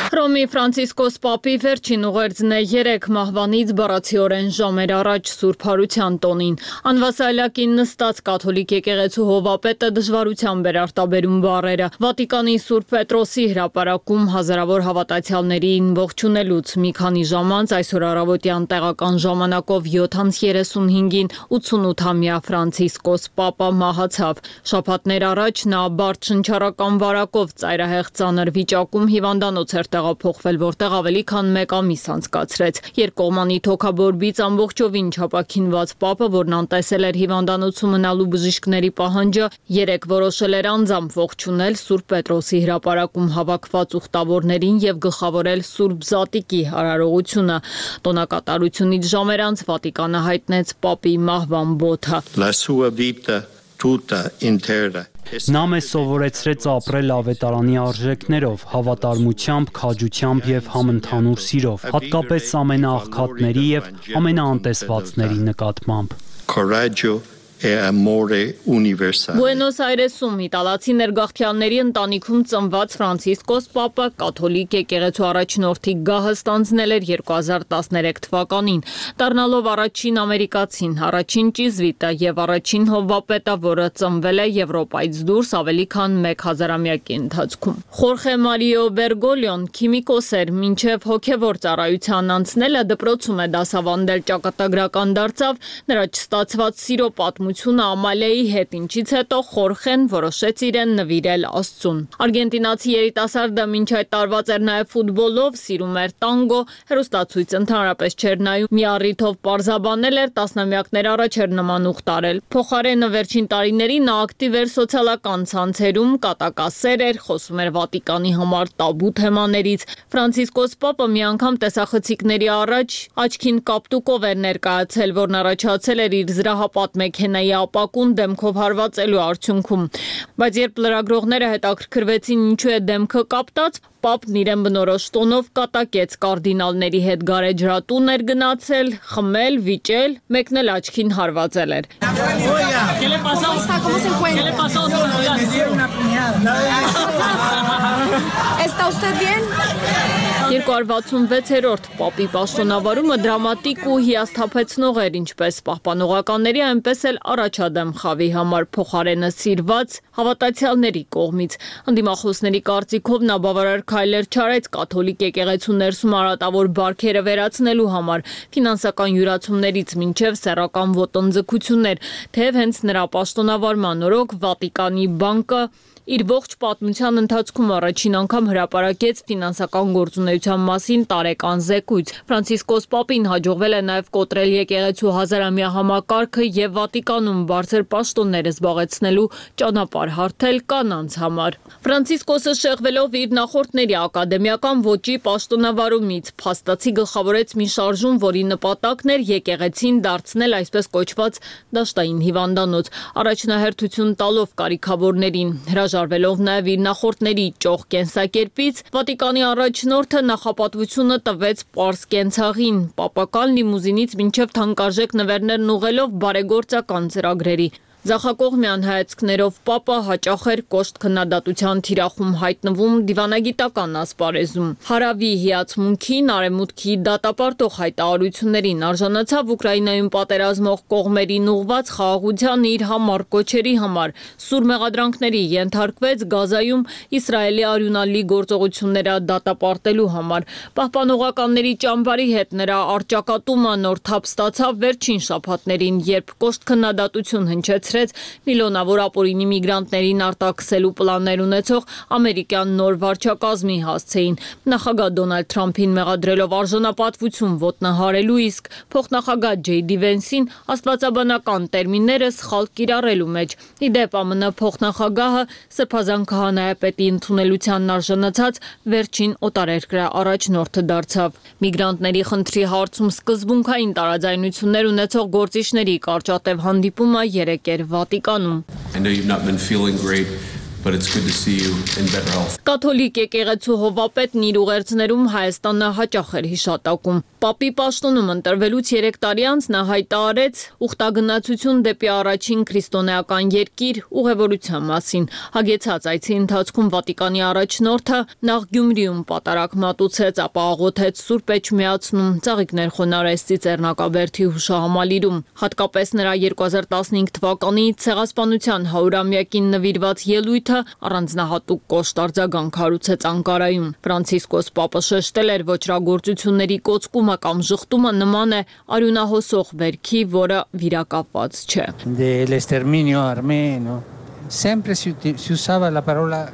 Հռոմի Ֆրանցիսկոս Պապի վերջին ուղերձն է երեկ մահվանից բառացիորեն ժամեր առաջ Սուրբ Հարության տոնին։ Անվասայլակին նստած կաթոլիկ եկեղեցու հովապետը դժվարությամբ էր արտաբերում բառերը։ Վատիկանի Սուրբ Պետրոսի հրապարակում հազարավոր հավատացյալներին ողջունելուց մի քանի ժամ անց այսօր առավոտյան տեղական ժամանակով յոթ անց երեսունհինգին ութսունութամյա Ֆրանցիսկոս Պապը մահացավ։ Շաբաթներ առաջ նա բարդ շնչառական վարակով ծայրահեղ ծանր վիճակում հիվանդանոց էր տեղափոխվել, որտեղ ավելի քան մեկ ամիս անցկացրեց։ Երկկողմանի թոքաբորբից ամբողջովին չապաքինված Պապը, որն անտեսել էր հիվանդանոցում մնալու բժիշկների պահանջը, երեկ որոշել էր անձամբ ողջունել Սուրբ Պետրոսի հրապարակում հավաքված ուխտավորներին եւ գլխավորել Սուրբ Զատիկի արարողությունը։ Տոնակատարությունից ժամեր անց Վատիկանը հայտնեց Պապի մահվան բոթը։ La sua vita tutta intera Նա մեզ սովորեցրեց ապրել ավետարանի արժեքներով, հավատարմությամբ, քաջությամբ եւ համընդհանուր սիրով, հատկապես ամենաաղքատների եւ ամենաանտեսվածների նկատմամբ։ Coraggio e amore universale. Բուենոս Այրեսում իտալացի ներգաղթյալների ընտանիքում ծնված Ֆրանցիսկոս Պապը կաթոլիկ եկեղեցու առաջնորդի գահը ստանձնել էր երկու հազար տասներեք թվականին, դառնալով առաջին ամերիկացին, առաջին ճիզվիտը եւ առաջին հովվապետը, որը ծնվել է Եվրոպայից դուրս ավելի քան մեկ հազարամյակի ընթացքում։ Խորխե Մարիո Բերգոլիոն քիմիկոս էր, մինչև հոգևոր ծառայության անցնելը դպրոցում է դասավանդել, ճակատագրական դարձավ, նրա չստացված սիրո պատմությունը Ամալիայի հետ, ինչից հետո Խորխեն որոշեց իրեն նվիրել Աստծուն։ Արգենտինացի երիտասարդը մինչ այդ տարված էր նաև ֆուտբոլով, սիրում էր տանգո, հեռուստացույց ընդհանրապես չէր նայում, մի առիթով պարզաբանել էր, տասնամյակներ առաջ էր նման ուխ տարել։ Փոխարենը վերջին տարիներին նա ակտիվ էր սոցիալական ցանցերում, կատակասեր էր, խոսում էր Վատիկանի համար տաբու թեմաներից։ Ֆրանցիսկոս Պապը մի անգամ տեսախցիկների առաջ աչքին կապտուկով էր ներկայացել, որն առաջացել էր իր զրահապատ մեքենայի ապակուն դեմքով հարվածելու արդյունքում, բայց երբ լրագրողները հետաքրքրվեցին ինչու է դեմքը կապտած, Պապն իրեն բնորոշ տոնով կատակեց կարդինալների հետ գարեջրատուն էր գնացել, խմել, վիճել, մեկն էլ աչքին հարվածել էր։ երկու հարյուր վաթսունվեցերորդ Պապի պաշտոնավարումը դրամատիկ ու հիասթափեցնող էր, ինչպես պահպանողականների, այնպես էլ առաջադեմ խավի համար փոխարենը սիրված հավատացյալների կողմից։ Ընդդիմախոսների կարծիքով նա բավարար քայլեր չարեց կաթոլիկ եկեղեցու ներսում արատավոր բարքերը վերացնելու համար, ֆինանսական յուրացումներից մինչև սեռական ոտնձգություններ, թեև հենց նրա պաշտոնավարման օրոք Վատիկանի բանկը Իր ողջ պատմության ընթացքում առաջին անգամ հրապարակեց ֆինանսական գործունեության մասին տարեկան զեկույց։ Ֆրանցիսկոս Պապին հաջողվել է նաև կոտրել եկեղեցու հազարամյա համակարգը եւ Վատիկանում բարձր պաշտոններ զբաղեցնելու ճանապարհ հարթել կանանց համար։ Ֆրանցիսկոսը շեղվելով իր նախորդների ակադեմիական ոճի պաշտոնավարումից փաստացի գլխավորեց մի շարժում, որի նպատակն էր եկեղեցին դարձնել այսպես կոչված դաշտային հիվանդանոց, առաջնահերթություն տալով կարիքավորներին, հրաժարվելով նաև իր նախորդների ճոխ կենսակերպից, Վատիկանի առաջնորդը նախապատվությունը տվեց պարզ կենցաղին, պապական լիմուզինից մինչև թանկարժեք նվերներն ուղղելով բարեգործական ծրագրերի։ Ձախակողմյան հայացքներով Պապը հաճախ էր կոշտ քննադատության թիրախում հայտնվում դիվանագիտական ասպարեզում։ Հարավի հիացմունքին, արևմուտքի դատապարտող հայտարարություններին արժանացավ Ուկրաինայում պատերազմող կողմերին ուղված խաղաղության իր համառ կոչերի համար, սուր մեղադրանքների ենթարկվեց Գազայում Իսրայելի արյունալի գործողությունները դատապարտելու համար։ Պահպանողականների ճամբարի հետ նրա առճակատումը նոր թափ ստացավ վերջին շաբաթներին, երբ կոշտ քննադատություն հնչեց միլիոնավոր ապօրինի միգրանտներին արտաքսելու պլաններ ունեցող ամերիկյան նոր վարչակազմի հասցեին։ Նախագահ Դոնալդ Թրամփին մեղադրելով արժանապատվություն ոտնահարելու, իսկ փոխնախագահ Ջեյ Դի Վենսին աստվածաբանական տերմինները սխալ կիրառելու մեջ։ Ի դեպ, ԱՄՆ փոխնախագահը սրբազան քահանայապետի ընդունելությանն արժանացած վերջին օտարերկրյա առաջնորդը դարձավ։ Միգրանտների խնդրի հարցում սկզբունքային տարաձայնություններ ունեցող գործիչների կարճատև հանդիպումը երեկ էր Վատիկանում։ I know you've not been feeling great, but it's good to see you in better health. Կաթոլիկ եկեղեցու հովապետն իր ուղերձներում Հայաստանը հաճախ էր հիշատակում։ Պապի պաշտոնում ընտրվելուց երեք տարի անց նա հայտարարեց ուխտագնացություն դեպի առաջին քրիստոնեական երկիր ուղևորության մասին։ Հագեցած այցի ընթացքում Վատիկանի առաջնորդը նախ Գյումրիում պատարակ մատուցեց, ապա աղոթեց Սուրբ Էջմիածնում, ծաղիկներ խոնարհեց Ծիծեռնակաբերդի հուշահամալիրում։ Հատկապես նրա երկու հազար տասնհինգ թվականի ցեղասպանության հարյուրամյակին նվիրված ելույթը առանձնահատուկ կոշտ արձագանք հարուցեց Անկարայում։ Ֆրանցիսկոս Պապը շեշտել էր ոչրագործությունների կոծկումը կամ ժխտումը նման է արյունահոսող վերքի, որը վիրակապված չէ։ Dell'esterminio armeno sempre si usava la parola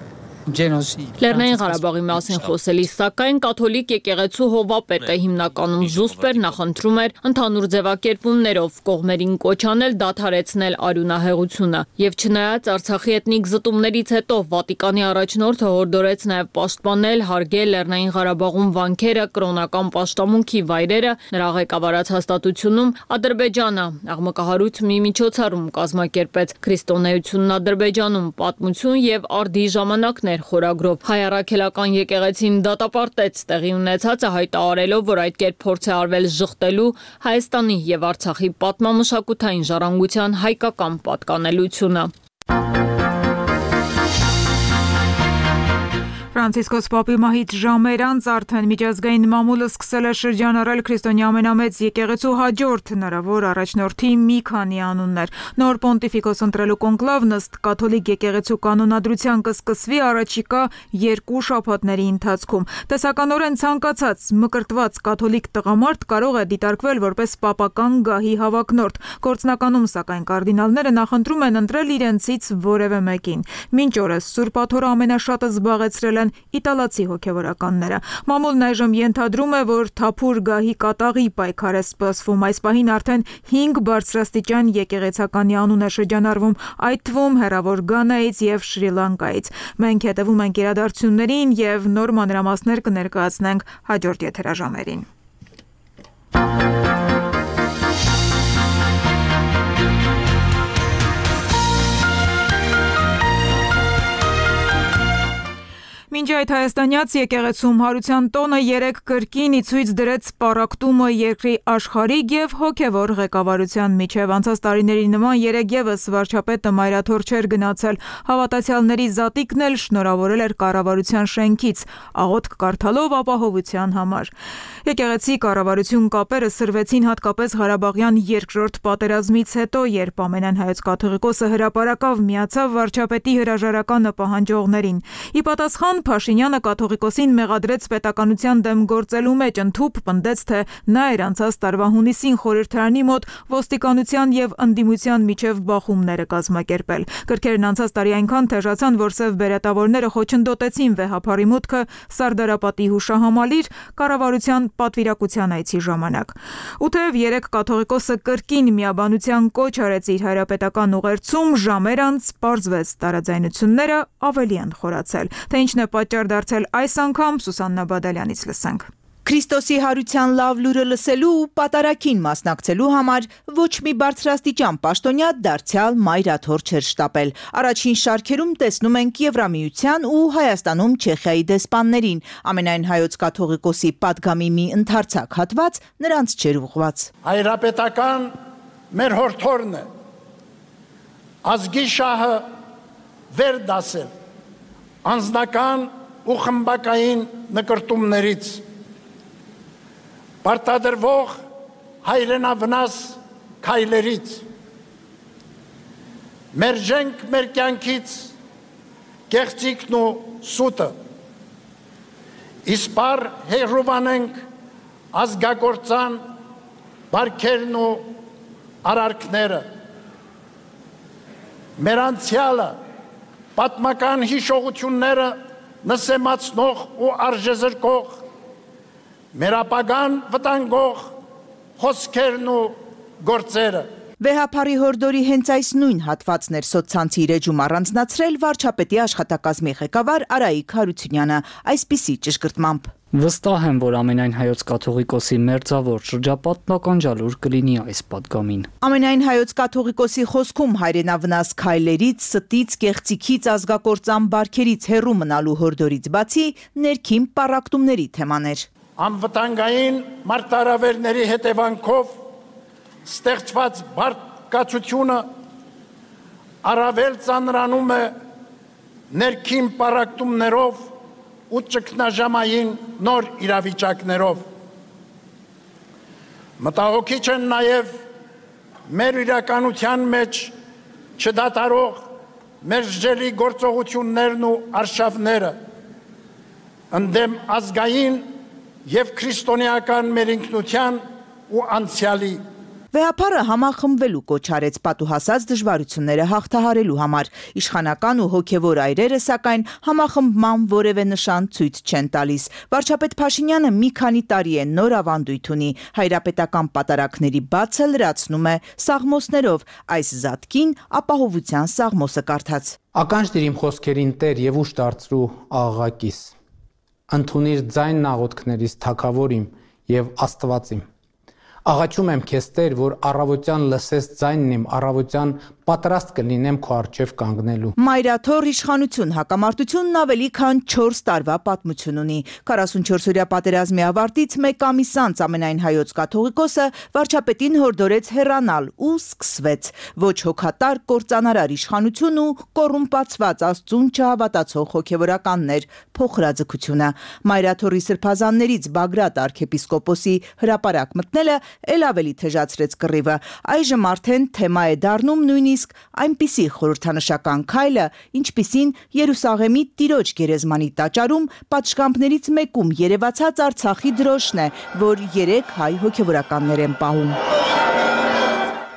Լեռնային Ղարաբաղի մասին խոսելիս, սակայն կաթոլիկ եկեղեցու հովապետը հիմնականում զուսպ էր, նախընտրում էր ընդհանուր ձևակերպումներով կողմերին կոչ անել դադարեցնել արյունահեղությունը։ Եվ չնայած Արցախի էթնիկ զտումներից հետո Վատիկանի առաջնորդը հորդորեց նաև պաշտպանել, հարգել Լեռնային Ղարաբաղում վանքերը, կրոնական պաշտամունքի վայրերը, նրա ղեկավարած հաստատությունում Ադրբեջանը աղմկահարույց մի միջոցառում կազմակերպեց քրիստոնեությունն Ադրբեջանում, պատմություն եւ արդի ժամանակներ խորագրով։ Հայ առաքելական եկեղեցին դատապարտեց տեղի ունեցածը, հայտարարելով, որ այդ կերպ փորձ է արվել ժխտելու Հայաստանի եւ Արցախի պատմամշակութային ժառանգության հայկական պատկանելությունը։ Ֆրանցիսկոս Պապի մահից ժամեր անց արդեն միջազգային մամուլը սկսել է շրջանառել քրիստոնյա ամենամեծ եկեղեցու հաջորդ հնարավոր առաջնորդի մի քանի անուններ։ Նոր պոնտիֆիկոս ընտրելու կոնկլավն ըստ կաթոլիկ եկեղեցու կանոնադրության կսկսվի առաջիկա երկու շաբաթների ընթացքում։ Տեսականորեն ցանկացած մկրտված կաթոլիկ տղամարդ կարող է դիտարկվել որպես պապական գահի հավակնորդ։ Գործնականում, սակայն, կարդինալները նախընտրում են ընտրել իրենցից որևէ մեկին։ Մինչ օրս Սուրբ Աթոռը ամենաշատը զբաղեցրել իտալացի հոգևորականները։ Մամուլն այժմ ենթադրում է, որ թափուր գահի կատաղի պայքար է սպասվում։ Այս պահին արդեն հինգ բարձրաստիճան եկեղեցականի անուն է շրջանառվում, այդ թվում հեռավոր Գանայից եւ Շրի Լանկայից։ Մենք հետևում ենք իրադարձություններին եւ նոր մանրամասներ կներկայացնենք հաջորդ եթերաժամերին։ Մինչ այդ հայաստանյաց եկեղեցում հարության տոնը երեք կրկին ի ցույց դրեց պառակտումը երկրի աշխարհիկ եւ հոգեվոր ղեկավարության միջև։ Անցած տարիների նման երեք եւս վարչապետը մայրաթոր չէր գնացել, հավատացյալների զատիկն էլ շնորհավորել էր կառավարության շենքից, աղոթք կարդալով ապահովության համար։ Եկեղեցի կառավարություն կապերը սրվեցին հատկապես Ղարաբաղյան երկրորդ պատերազմից հետո, երբ ամենայն հայոց կաթողիկոսը հրապարակավ միացավ վարչապետի հրաժարականը պահանջողներին։ Ի պատասխան Փաշինյանը կաթողիկոսին մեղադրեց պետականության դեմ գործելու մեջ, ընդհուպ պնդեց, թե նա էր անցած տարվա հունիսին խորհրդարանի մոտ ոստիկանության եւ ընդդիմության միջև բախումները կազմակերպել։ Կրքերն անցած տարի այնքան թեժացան, որ սև բերետավորները խոչընդոտեցին վեհափարի մուտքը Սարդարապատի հուշահամալիր կառավարության պատվիրակության այցի ժամանակ։ Ու թեև երեք կաթողիկոսը կրկին միաբանության կոչ արեց իր հայրապետական ուղերձում, ժամեր անց պարզվեց տարաձայնությունները ավելի են խորացել։ Թե ինչն է պատճառ դարձել այս անգամ, Սուսաննա Բադալյանից լսենք։ Քրիստոսի հարության լավ լուրը լսելու ու պատարագին մասնակցելու համար ոչ մի բարձրաստիճան պաշտոնյա դարձյալ մայրաթոր չէր շտապել։ Առաջին շարքերում տեսնում ենք Եվրամիության ու Հայաստանում Չեխիայի դեսպաններին, ամենայն հայոց կաթողիկոսի պատգամի մի ընդարձակ հատված նրանց չէր ուղված։ Հայրապետական մեր հորթորն է, ազգի շահը վեր դասել, անձնական ու խմբակային նկրտումներից, պարտադրվող հայրենավնաս քայլերից, մերժենք մեր կյանքից կեղծիքն ու սուտը, իսպար հեղրուվանենք ազգագործան բարքերն ու արարքները, մեր անցյալը, պատմական հիշողությունները նսեմացնող ու արժեզրկող, մեր ապագան վտանգող խոսքերն ու գործերը։ Վեհափարի հորդորի հենց այս նույն հատվածն էր սոցցանցի իր էջում առանձնացրել վարչապետի աշխատակազմի ղեկավար Արայիկ Հարությունյանը, այսպիսի ճշգրտմամբ. Վստահ եմ, որ ամենայն հայոց կաթողիկոսի մերձավոր շրջապատն ականջալուր կլինի այս պատգամին։ Ամենայն հայոց կաթողիկոսի խոսքում հայրենավնաս քայլերից, ստից, կեղծիքից, ազգակործան բարքերից հեռու մնալու հորդորից բացի ներքին պառակտումների թեմաներ։ Անվտանգային մարտահրավերների հետևանքով ստեղծված բարկացությունը առավել ծանրանում է ներքին պառակտումներով ու ճգնաժամային նոր իրավիճակներով։ Մտահոգիչ են նաև մեր իրականության մեջ չդադարող մերժելի գործողություններն ու արշավները, ընդդեմ ազգային և քրիստոնեական մեր ինքնության ու անցյալի։ Վեհափարը համախմբվելու կոչ արեց պատուհասած դժվարությունները հաղթահարելու համար։ Իշխանական ու հոգևոր այրերը, սակայն, համախմբման որևէ նշան ցույց չեն տալիս։ Վարչապետ Փաշինյանը մի քանի տարի է նոր ավանդույթ ունի, հայրապետական պատարագների բացը լրացնում է սաղմոսներով, այս զատկին ապահովության սաղմոսը կարդաց։ Ականջ դիր իմ խոսքերին Տեր եւ ուշ դարձրու աղաղակիս։ Ընդունիր ձայնն աղոթքներիս թագավոր իմ եւ Աստված իմ։ Աղաչում եմ քեզ Տեր, որ առավոտյան լսես ձայնն իմ, առավոտյան պատրաստ կլինեմ քո առջև կանգնելու։ Մայրաթոր իշխանություն հակամարտությունն ավելի քան չորս տարվա պատմություն ունի։ քառասունչորսօրյա պատերազմի ավարտից մեկ ամիս անց ամենայն հայոց կաթողիկոսը վարչապետին հորդորեց հեռանալ ու սկսվեց ոչ հոգատար կործանարար իշխանություն ու կոռումպացված Աստծուն չհավատացող հոգևորականներ փոխրաձգությունը։ Մայրաթորի սրբազաններից Բագրատ arczepiskopos-ի հրապարակ մտնելը էլ ավելի թեժացրեց կռիվը։ Այժմ արդեն թեմա է դառնում նույնիսկ այնպիսի խորհրդանշական քայլը, ինչպիսին Երուսաղեմի Տիրոջ գերեզմանի տաճարում պատշգամբներից մեկում երևացած Արցախի դրոշն է, որ երեք հայ հոգևորականներ են պահում։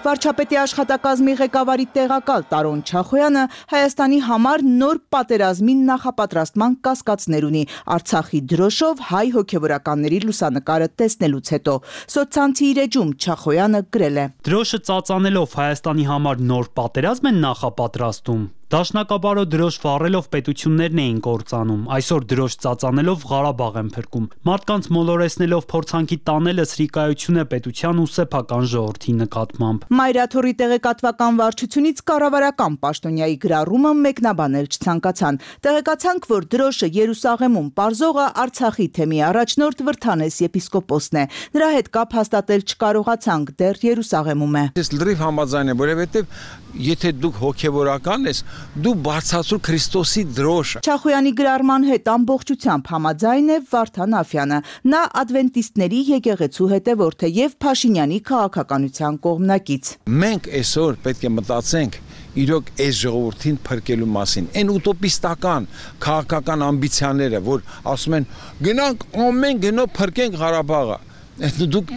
Վարչապետի աշխատակազմի ղեկավարի տեղակալ Տարոն Չախոյանը Հայաստանի համար նոր պատերազմի նախապատրաստման կասկածներ ունի Արցախի դրոշով հայ հոգևորականների լուսանկարը տեսնելուց հետո։ Սոցցանցի իր էջում Չախոյանը գրել է. Դրոշը ծածանելով Հայաստանի համար նոր պատերազմ են նախապատրաստում։ Դաշնակապարո դրոշ վառելով պետություններն էին կործանում, այսօր դրոշ ծածանելով Ղարաբաղ են փրկում։ Մարդկանց մոլորեսնելով փորձանքի տանելը սրիկայություն է պետության ու սեփական ժողովրդի նկատմամբ։ Մայրաթորի տեղեկատվական վարչությունից կառավարական պաշտոնյայի գրառումը մեկնաբանել չցանկացան։ Տեղեկացանք, որ դրոշը Երուսաղեմում պարզողը Արցախի թեմի առաջնորդ Վրթանես եպիսկոպոսն է։ Նրա հետ կապ հաստատել չկարողացանք, դեռ Երուսաղեմում է։ Ես լրիվ համաձայն եմ, որովհետև եթե դուք հոգևորական ես, դու բարձրացրու Քրիստոսի դրոշը։ Չախոյանի գրառման հետ ամբողջությամբ համաձայն է Վարդան Աֆյանը։ Նա ադվենտիստների եկեղեցու հետևորդ է եւ Փաշինյանի քաղաքականության կողմնակից։ Մենք այսօր պետք է մտածենք իրոք այս ժողովրդին փրկելու մասին։ Այն ուտոպիստական քաղաքական ամբիցիաները, որ ասում են գնանք ամեն գնով փրկենք Ղարաբաղը։ Դուք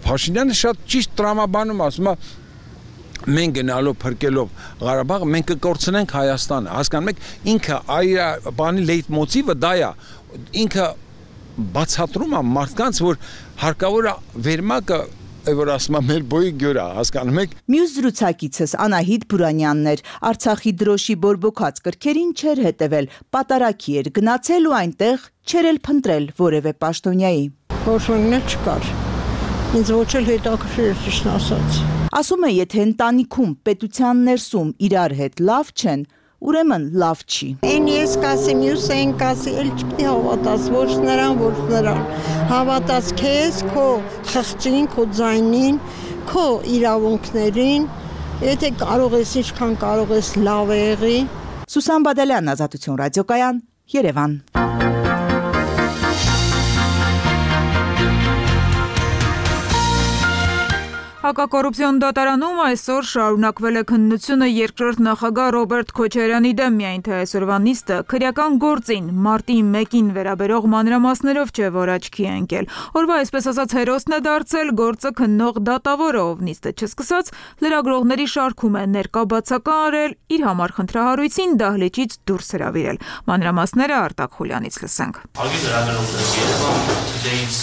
Փաշինյանը շատ ճիշտ տրամաբանում ասում է մենք գնալով փրկելով Ղարաբաղը մենք կկորցնենք Հայաստանը, հասկանում եք, ինքը այ բանի լեյտմոտիվը դա է, ինքը բացատրում է մարդկանց, որ հարկավոր է վերմակը, որ ասում է մեր բոյի գյուրա, հասկանում եք։ Մյուս զրուցակիցս Անահիտ Բուրանյանն էր, Արցախի դրոշի բորբոքած կրքերին չէր հետևել, պատարակի էր գնացել ու այնտեղ չէր էլ փնտրել որևէ պաշտոնյայի։ Որոշումներ չկար։ Ինձ ոչ էլ հետաքրքիր էր ճիշտ ասած։ Ասում է, եթե ընտանիքում պետության ներսում իրար հետ լավ չեն, ուրեմն լավ չի։ Այն ես կասի, մյուս այն կասի, էլ չպետք է հավատաս, ոչ նրան, ոչ նրան։ Հավատաս քեզ, քո խղճին, քո ձայնին, քո իրավունքներին, եթե կարող ես, ինչքան կարող ես լավ եղի։ Սուսան Բադալյան, Ազատություն ռադիոկայան, Երևան։ Հակակոռուպցիոն դատարանում այսօր շարունակվել է քննությունը երկրորդ նախագահ Ռոբերտ Քոչարյանի դեմ, միայն թե այսօրվա նիստը քրեական գործին մարտի մեկին վերաբերող մանրամասներով չէ, որ աչքի է ընկել։ Օրվա այսպես ասած հերոսն է դարձել գործը քննող դատավորը, ով նիստը չսկսած լրագրողների շարքում է ներկա բացական արել, իր համար խնդրահարույցին դահլիճից դուրս հրավիրել։ Մանրամասները Արտակ Խուլյանից լսենք։ Հարգելի լրագրողներ, Երևան Today-ից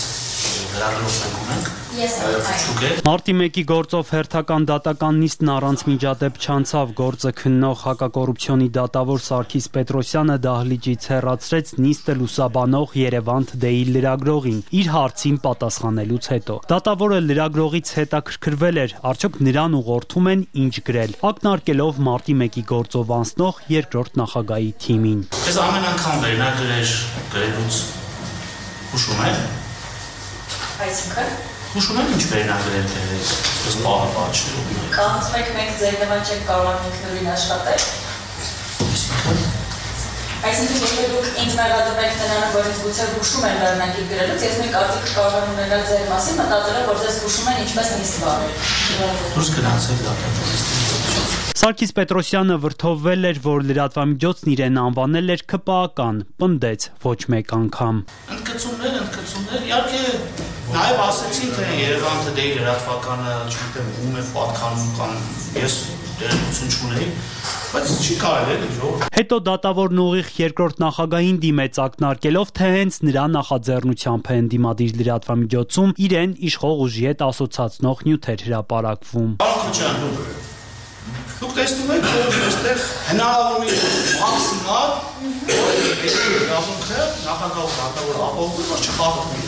լրագրողներ ունենք։ Մարտի մեկի գործով հերթական դատական նիստն առանց միջադեպ չանցավ, գործը քննող հակակոռուպցիոնի դատավոր Սարգիս Պետրոսյանը դահլիճից հեռացրեց նիստը լուսաբանող Երևան Today-ի լրագրողին իր հարցին պատասխանելուց հետո։ Դատավորը լրագրողից հետաքրքրվել էր, արդյոք նրան ուղղորդում են ինչ գրել, ակնարկելով մարտի մեկի գործով անցնող երկրորդ նախագահի թիմին։ Ես ամեն անգամ վերնագրեր գրելուց հուշում եմ։ Այսինքն Հուշում եք ինչ վերնագրեր գրել, ըստ պահը պատճառում։ Կանցում եք մենք ձեր նման չեք կարող ինքնուրույն աշխատել։ Այսինքն եթե դուք ինձ մեղադրում եք նրան, որ ինձ գուցե հուշում են վերնագիր գրելուց, ես մի կարծիք կարող եմ ունենալ ձեր մասին, մտածելով, որ ձեզ հուշում են ինչպես նիստ վարել։ Դուրս գնացեք դատավորից։ Սարգիս Պետրոսյանը վրդովվել էր, որ լրատվամիջոցն իրեն անվանել էր քպական, պնդեց ոչ մեկ անգամ։ Ընդգծումներ, ընդգծումներ, իհարկե նաև ասեցին, թե Երևան Today-ի լրատվականը, չգիտեմ, ում է պատկանում կամ ես դերակցություն չունեի, բայց չի կարելի էլի ժողովուրդ։ Հետո դատավորն ուղիղ երկրորդ նախագահին դիմեց ակնարկելով, թե հենց նրա նախաձեռնությամբ է ընդդիմադիր լրատվամիջոցում իրեն իշխող ուժի հետ ասոցացնող նյութեր հրապարակվում։ Պարոն Քոչարյան, դուք տեսնում եք, որ այստեղ հնարավորինս մաքսիմալ իրավունքը նախագահ դատավոր ապահովում, որ չխախտվի։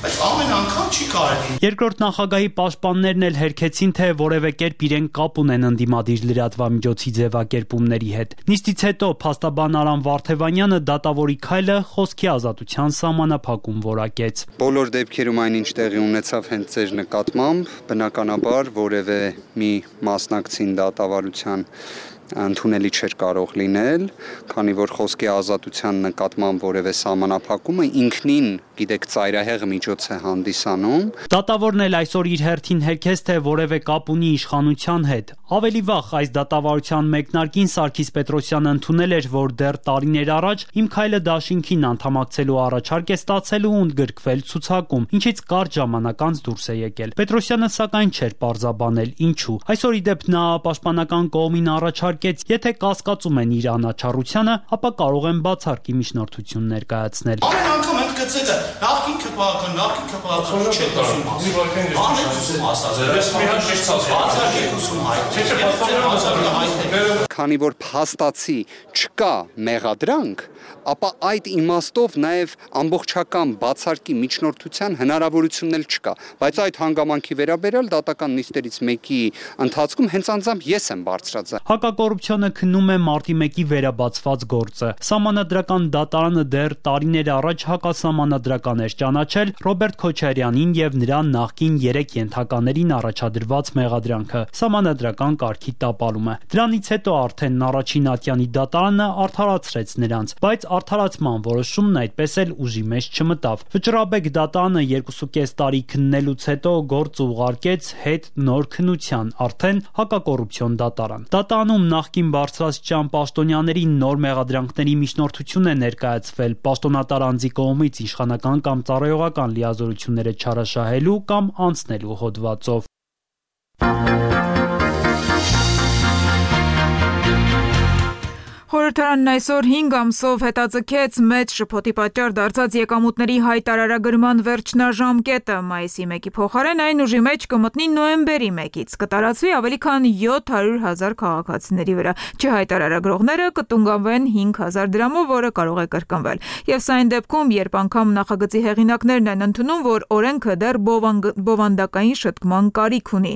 Բայց ամեն անգամ չի կարելի։ Երկրորդ նախագահի պաշտպաններն էլ հերքեցին, թե որևէ կերպ իրեն կապ ունեն ընդդիմադիր լրատվամիջոցի ձևակերպումների հետ։ Նիստից հետո փաստաբան Արամ Վարդևանյանը դատավորի քայլը խոսքի ազատության սահմանափակում որակեց։ Բոլոր դեպքերում այնինչ տեղի ունեցավ հենց ձեր նկատմամբ, բնականաբար որևէ մի մասնակցին դատավարության ընդունելի չէր կարող լինել, քանի որ խոսքի ազատության նկատմամբ որևէ սահմանափակումը ինքնին, գիտեք, ծայրահեղ միջոց է հանդիսանում։ Դատավորն էլ այսօր իր հերթին հերքեց, թե որևէ կապ ունի իշխանության հետ։ Ավելի վաղ այս դատավարության մեկնարկին Սարգիս Պետրոսյանը ընդունել էր, որ դեռ տարիներ առաջ Իմ քայլը դաշինքին անդամակցելու առաջարկ է ստացել ու ընդգրկվել ցուցակում, ինչից կարճ ժամանակ անց դուրս է եկել։ Պետրոսյանը սակայն չէր պարզաբանել ինչու։ Այսօր ի դեպ նա պաշտպանական կողմին առաջարկեց, եթե կասկածում են իր անաչառությանը, ապա կարող են բացարկի միջնորդություն ներկայացնել։ Ամեն անգամ ենք գծելը նախքին քպական, նախքին քպական չէ դասում ասում։ Անեցում ասած, ես մի հատ մեջցած բացարկեք ուսում հայտ։ Չէ, բացարկը հայտ։ Քանի որ փաստացի չկա մեղադրանք, ապա այդ իմաստով նաև ամբողջական բացարկի միջնորդության հնարավորությունն էլ չկա, բայց այդ հանգամանքի վերաբերյալ դատական նիստերից մեկի ընթացքում հենց անձամբ ես եմ բարձրացել։ Հակակոռուպցիոնը քննում է մարտի մեկի վերաբացված գործը։ Սահմանադրական դատարանը դեռ տարիներ առաջ հակասահմանադրական էր ճանաչել Ռոբերտ Քոչարյանին եւ նրա նախկին երեք ենթականերին առաջադրված մեղադրանքը՝ սահմանադրական կարգի տապալումը։ Դրանից հետո արդեն առաջին ատյանի դատարանը արդարացրեց նրանց, բայց արդարացման որոշումն այդպես էլ ուժի մեջ չմտավ։ Վճռաբեկ դատարանը երկուսուկես տարի քննելուց հետո գործը ուղարկեց հետ նոր քննության, արդեն հակակոռուպցիոն դատարան։ Դատարանում նախկին բարձրաստիճան պաշտոնյաների նոր մեղադրանքների միջնորդություն է ներկայացվել պաշտոնատար անձի կողմից իշխանական կամ ծառայողական լիազորությունները չարաշահելու կամ անցնելու հոդվածով։ Խորհրդարանն այսօր հինգ ամսով հետաձգեց մեծ շփոթի պատճառ դարձած եկամուտների հայտարարագրման վերջնաժամկետը։ Մայիսի մեկի փոխարեն այն ուժի մեջ կմտնի նոյեմբերի մեկից։ Կտարածվի ավելի քան յոթ հարյուր հազար քաղաքացիների վրա։ Չհայտարարագրողները կտունգանվեն հինգ հազար դրամով, որը կարող է կրկնվել։ Եվ սա այն դեպքում, երբ անգամ նախագծի հեղինակներն են ընդունում, որ օրենքը դեռ բովանդակային շտկման կարիք ունի։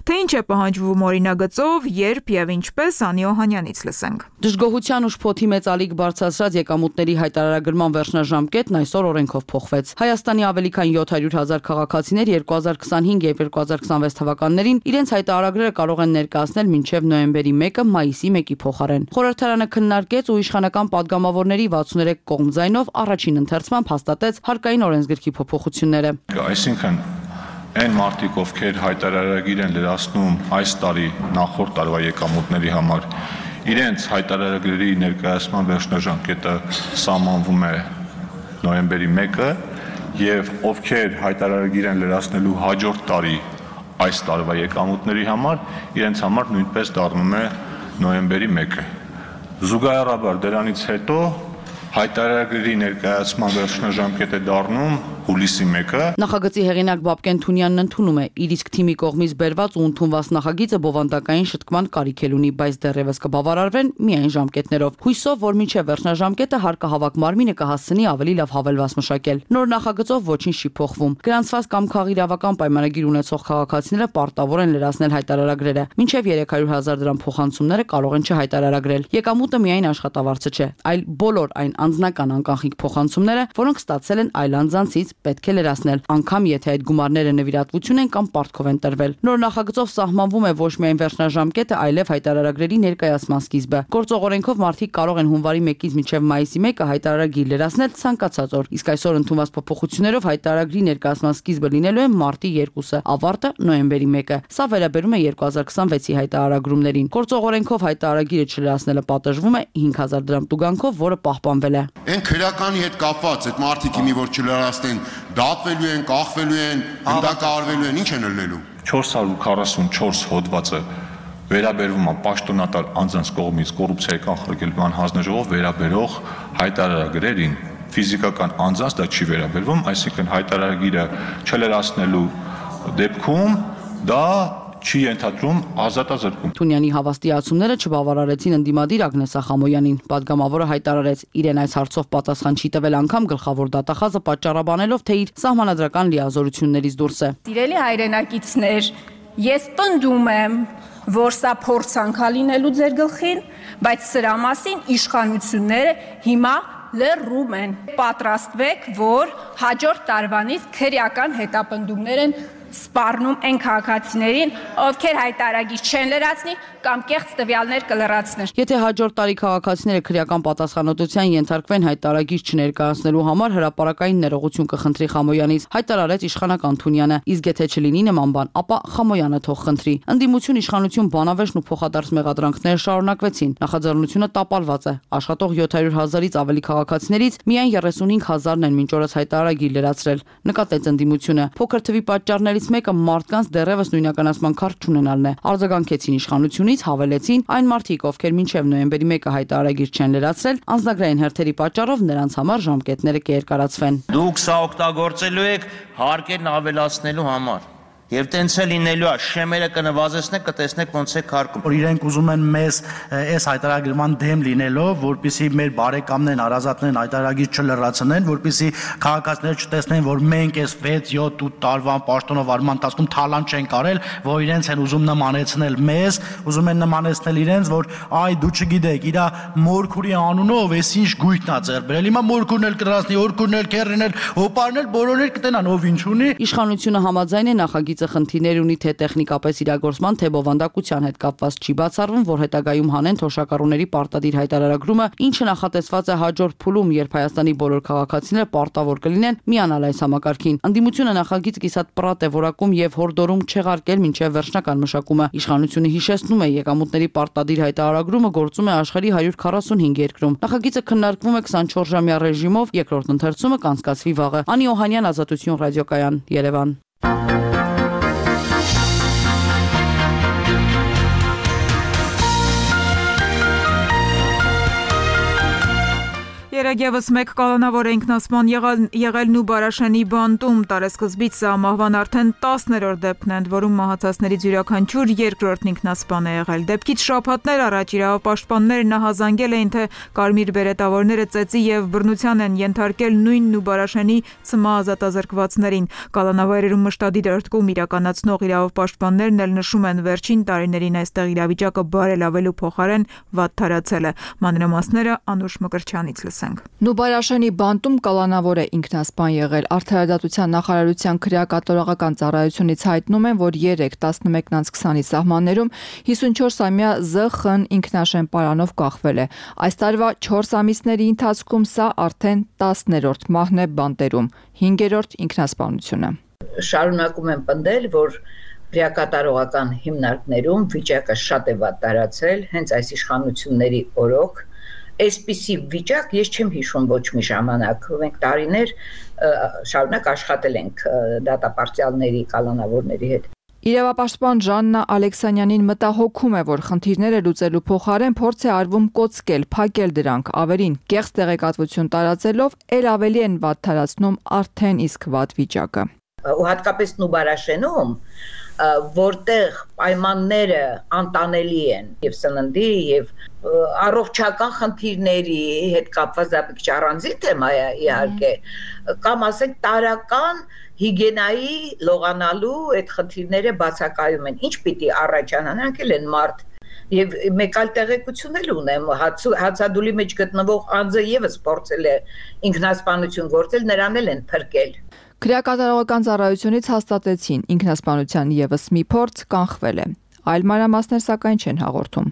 Թե ինչ է պահանջվում օրինագծով, երբ եւ ինչպես, Անի Օհանյանից լսենք։ Դժգոհության ու շփոթի մեծ ալիք բարձրացրած եկամուտների հայտարարագրման վերջնաժամկետն այսօր օրենքով փոխվեց։ Հայաստանի ավելի քան յոթ հարյուր հազար քաղաքացիներ երկու հազար քսանհինգ եւ երկու հազար քսանվեց թվականներին իրենց հայտարարագրերը կարող են ներկայացնել մինչեւ նոյեմբերի մեկը մայիսի մեկի փոխարեն։ Խորհրդարանը քննարկեց ու իշխանական падգամավորների վաթսուներեք կողմ ձայնով առաջին ընթերցման հաստատեց հարկային օրենսգրքի փոփոխությունները։ Այսինքն այն մարդիկ, ովքեր հայտարարագիր են լրացնում այս տարի նախորդ տարվա եկամուտների համար, իրենց հայտարարագրերի ներկայացման վերջնաժամկետը սահմանվում է նոյեմբերի մեկը եւ ովքեր հայտարարագիր են լրացնելու հաջորդ տարի այս տարվա եկամուտների համար, իրենց համար նույնպես դառնում է նոյեմբերի մեկը։ Զուգահեռաբար դրանից հետո հայտարարագրերի ներկայացման վերջնաժամկետ է դառնում հուլիսի մեկը։ Նախագծի հեղինակ Բաբկեն Թունյանն ընդունում է իր իսկ թիմի կողմից բերված ու ընդունված նախագիծը բովանդակային շտկման կարիք ունի, բայց դեռևս կբավարարվեն միայն ժամկետներով։ Հույսով, որ մինչև վերջնաժամկետը հարկահավաք մարմինը կհասցնի ավելի լավ հավելված մշակել։ Նոր նախագծով ոչինչ չի փոխվում։ Գրանցված կամ քաղաքական պայմանագիր ունեցող քաղաքացիները պարտավոր են լրացնել հայտարարագրերը։ Մինչև երեք հարյուր հազար դրամ փոխանցումները կարող են չհայտարարագրել։ Եկամուտը միայն աշխատավարձը չէ, այլ բոլոր այն անձնական անկախնիկ փոխանցումները, որոնք ստացել են այլ անձանցից, պետք է լրացնել, անգամ եթե այդ գումարները նվիրատվություն են կամ պարտքով են տրվել։ Նոր նախագծով սահմանվում է ոչ միայն վերջնաժամկետը, այլև հայտարարագրերի ներկայացման սկիզբը։ Գործող օրենքով մարդիկ կարող են հունվարի մեկից մինչև մայիսի մեկը հայտարարագիր լրացնել ցանկացած օր, իսկ այսօր ընդունված փոփոխություններով հայտարարագրի ներկայացման սկիզբը լինելու է մարտի երկուսը, ավարտը նոյեմբերի մեկը։ Սա վերաբերում է երկու հազար քսանվեցի հայտարարագրումներին։ Գործող օրենքով հայտարարագիրը չլրացնելը պատժվում է հինգ հազար դրամ տուգանքով, որը պահպանվել է։ Այն քրեականի հետ կապված այդ մարդիկ իմի որ չլրացնեն, դատվելու են, կախվելու են, հնդակարվելու են, ինչ են ելնելու։ չորս հարյուր քառասունչորս հոդվածը վերաբերվում է պաշտոնատար անձանց կողմից կոռուպցիայի կանխարգելման հանձնաժողով վերաբերող հայտարարագրերին, ֆիզիկական անձանց դա չի վերաբերվում, այսինքն հայտարարագիրը չլրացնելու դեպքում դա չի ենթադրում ազատազրկում։ Թունյանի հավաստիացումները չբավարարեցին ընդդիմադիր Ագնես Ախամոյանին։ Պատգամավորը հայտարարեց, իրեն այս հարցով պատասխան չի տվել անգամ գլխավոր դատախազը պատճառաբանելով, թե իր սահմանադրական լիազորություններից դուրս է։ Սիրելի հայրենակիցներ, ես պնդում եմ, որ սա փորձանք է լինելու ձեր գլխին, բայց սրա մասին իշխանությունները հիմա լռում են։ Պատրաստվեք, որ հաջորդ տարվանից քրեական հետապնդումներ են սպառնում այն քաղաքացիներին, ովքեր հայտարարագիր չեն լրացնի կամ կեղծ տվյալներ կլրացնեն։ Եթե հաջորդ տարի քաղաքացիները քրեական պատասխանատվության ենթարկվեն հայտարարագիր չներկայացնելու համար, հրապարակային ներողություն կխնդրի Խամոյանից, հայտարարեց իշխանական Թունյանը, իսկ եթե չլինի նման բան, ապա Խամոյանը թող խնդրի։ Ընդդիմություն, իշխանություն, բանավեճն ու փոխադարձ մեղադրանքները շարունակվեցին։ Նախաձեռնությունը տապալված է։ Աշխատող յոթ հարյուր հազարից ավելի քաղաքացիներից միայն երեսունհինգ հազարն են մինչ օրս հայտարարագիր լրացրել, նկատեց ընդդիմությունը։ Փոքր թվի պատճառներից մեկը մարդկանց դեռևս նույնականացման քարտ չունենալն է։ Արձագանքեցին իշխանությունից, հավելեցին այն մարդիկ, ովքեր մինչև նոյեմբերի մեկը հայտարարագիր չեն լրացրել, անձնագրային հերթերի պատճառով նրանց համար ժամկետները կերկարացվեն։ Դուք սա օգտագործելու եք հարկերն ավելացնելու համար։ Եվ տենց է լինելու է, շեմերը կնվազեցնեք, կտեսնեք ոնց է քարկում։ Որ իրենք ուզում են մեզ այս հայտարարագրման դեմ լինելով, որպեսզի մեր բարեկամներն, հարազատներն հայտարարագիր չլրացնեն, որպեսզի քաղաքացիները չտեսնեն, որ մենք այս վեց յոթ ութ տարվա պաշտոնավարման ընթացքում թալան չենք արել, որ իրենց են ուզում նմանեցնել մեզ, ուզում են նմանեցնել իրենց, որ այ դու չգիտեք, իրա մորքուրի անունով էս ինչ գույքն է ձեռ բերել։ Հիմա մորքուրն էլ կլրացնի, օրքուրն էլ, քերրն էլ, հոպարն էլ, բոլորն էլ կտենան, ով ինչ ունի։ Իշխանությունը համաձայն է նախագիծ նախագիծը խնդիրներ ունի թե տեխնիկապես իրագործման, թե բովանդակության հետ կապված չի բացառվում, որ հետագայում հանեն թոշակառուների պարտադիր հայտարարագրումը, ինչը նախատեսված է հաջորդ փուլում, երբ Հայաստանի բոլոր քաղաքացիները պարտավոր կլինեն միանալ այս համակարգին։ Ընդդիմությունը նախագիծ կիսատ պրատ է որակում եւ հորդորում չեղարկել մինչեւ վերջնական մշակումը։ Իշխանությունը հիշեցնում է, եկամուտների պարտադիր հայտարարագրումը գործում է աշխարհի հարյուր քառասունհինգ երկրում։ Նախագիծը քննարկվում է քսանչորս ժամյա ռեժիմով, երկրորդ ընթերցումը կանցկացվի վաղը։ Անի Օհանյան, Ազատություն ռադիոկայան, Երևան։ Երեգևս մեկ կալանավոր ինքնասպան եղել Նուբարաշենի բանտում տարեսկզբից սա մահվան արդեն տասներորդ դեպքն են, որում մահացածներից յուրաքանչյուր երկրորդն ինքնասպան է եղել։ Դեպքից շաբաթներ առաջ իրավապաշտպաններն ահազանգել էին, թե կարմիր բերետավորները ծեծի եւ բռնության են ենթարկել նույն Նուբարաշենի ցմահազատազրկվածներին։ Կալանավայրերում մշտադիր ըրտկում իրականացնող իրավապաշտպաններն էլ նշում են, վերջին տարիներին այստեղ իրավիճակը բարելավելու փոխարեն վատթարացել է։ Մանրամասները Անուշ Մկրտչյանից լսենք։ Նուբարաշենի բանտում կալանավոր է ինքնասպան եղել։ Արդարադատության նախարարության քրեակատորողական ծառայությունից հայտնում են, որ երեկ տասնմեկն անց քսանի սահմաններում հիսունչորսամյա Զ Խ-ն ինքնաշեն պարանով կախվել է։ Այս տարվա չորս ամիսների ընթացքում սա արդեն տասներորդ մահն է բանտերում, հինգերորդ ինքնասպանությունը։ Շարունակում են պնդել, որ քրեակատորողական հիմնարկներում վիճակը շատ է վատթարացել, հենց այս իշխանությունների օրոք։ Այսպիսի վիճակ ես չեմ հիշում ոչ մի ժամանակ։ Մենք տարիներ շարունակ աշխատել ենք դատապարտյալների, կալանավորների հետ։ Իրավապաշտպան Ժաննա Ալեքսանյանին մտահոգում է, որ խնդիրները լուծելու փոխարեն փորձ է արվում կոծկել, փակել դրանք, ավելին կեղծ տեղեկատվություն տարածելով ել ավելի են վատթարացնում արդեն իսկ վատ վիճակը։ Ու հատկապես Նուբարաշենում, որտեղ պայմանները անտանելի են եւ սննդի եւ առողջական խնդիրների հետ կապված դա մի քիչ առանձին թեմա է իհարկե, կամ ասենք տարական հիգիենայի լողանալու այդ խնդիրները բացակայում են։ Ինչ պիտի առաջանան, անկել են մարդ եւ մեկ այլ տեղեկություն էլ ունեմ, հացադուլի մեջ գտնվող անձը եւս փորձել է ինքնասպանություն գործել, նրան էլ են փրկել։ Քրեակատարողական ծառայությունից հաստատեցին ինքնասպանության եւս մի փորձ կանխվել է։ Այլ մանրամասներ սակայն չեն հաղորդում։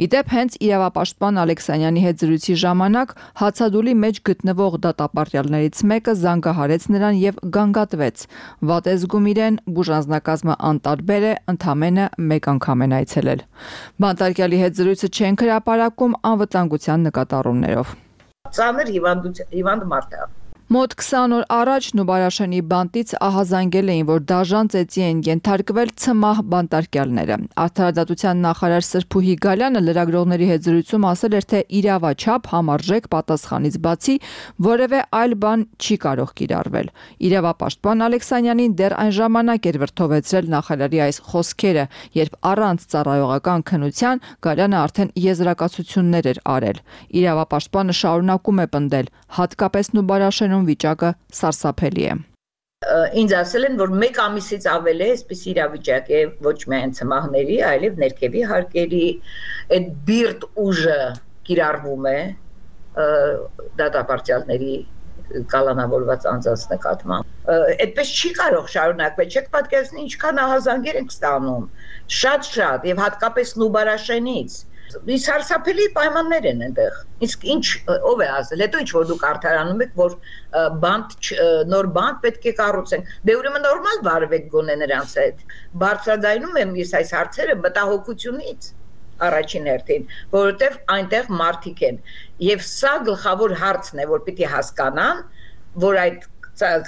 Իդեպ հենց իրավապաշտպան Ալեքսանյանի հետ զրույցի ժամանակ հացադուլի մեջ գտնվող դատապարտյալներից մեկը զանգահարեց նրան եւ գանգատվեց։ Վատ է զգում իրեն, բուժանձնակազմը անտարբեր է, ընդամենը մեկ անգամ են այցելել։ Բանտարկյալի հետ զրույցը չեն հրապարակում անվտանգության նկատառումներով։ Ծանր հիվանդ մարդ է։ Մոտ քսան օր առաջ Նուբարաշենի բանտից ահազանգել էին, որ դաժան ծեծի են ենթարկվել ցմահ բանտարկյալները։ Արդարադատության նախարար Սրփուհի Գալյանը լրագրողների հետ զրույցում ասել էր, թե իրավաչափ համարժեք պատասխանից բացի որևէ այլ բան չի կարող կիրառվել։ Իրավապաշտպան Ալեքսանյանին դեռ այն ժամանակ էր վրդովեցրել նախարարի այս խոսքերը, երբ առանց ծառայողական քննության Գալյանը արդեն եզրակացություններ էր արել։ Իրավապաշտպանը շարունակում է պնդել, հատկապես Նուբարաշենում վիճակը սարսափելի է։ Ինձ ասել են, որ մեկ ամիսից ավել է այսպես իրավիճակ է ոչ միայն ցմահների, այլև ներքևի հարկերի, այդ բիրտ ուժը կիրառվում է դատապարտյալների կալանավորված անձանց նկատմամբ։ Այդպես չի կարող շարունակվել, չեք պատկերացնի ինչքան ահազանգեր ենք ստանում, շատ-շատ եւ հատկապես Նուբարաշենից։ Սարսափելի պայմաններ են այնտեղ։ Իսկ ինչ ով է ասել, հետո ինչ որ դուք արդարանում եք, որ բանտ նոր բանտ պետք է կառուցենք։ Դե ուրեմն նորմալ վարվեք գոնե նրանց հետ։ Բարձրաձայնում եմ ես այս հարցերը մտահոգությունից առաջին հերթին, որովհետև այնտեղ մարդիկ են։ Եվ սա գլխավոր հարցն է, որ պիտի հասկանան, որ այդ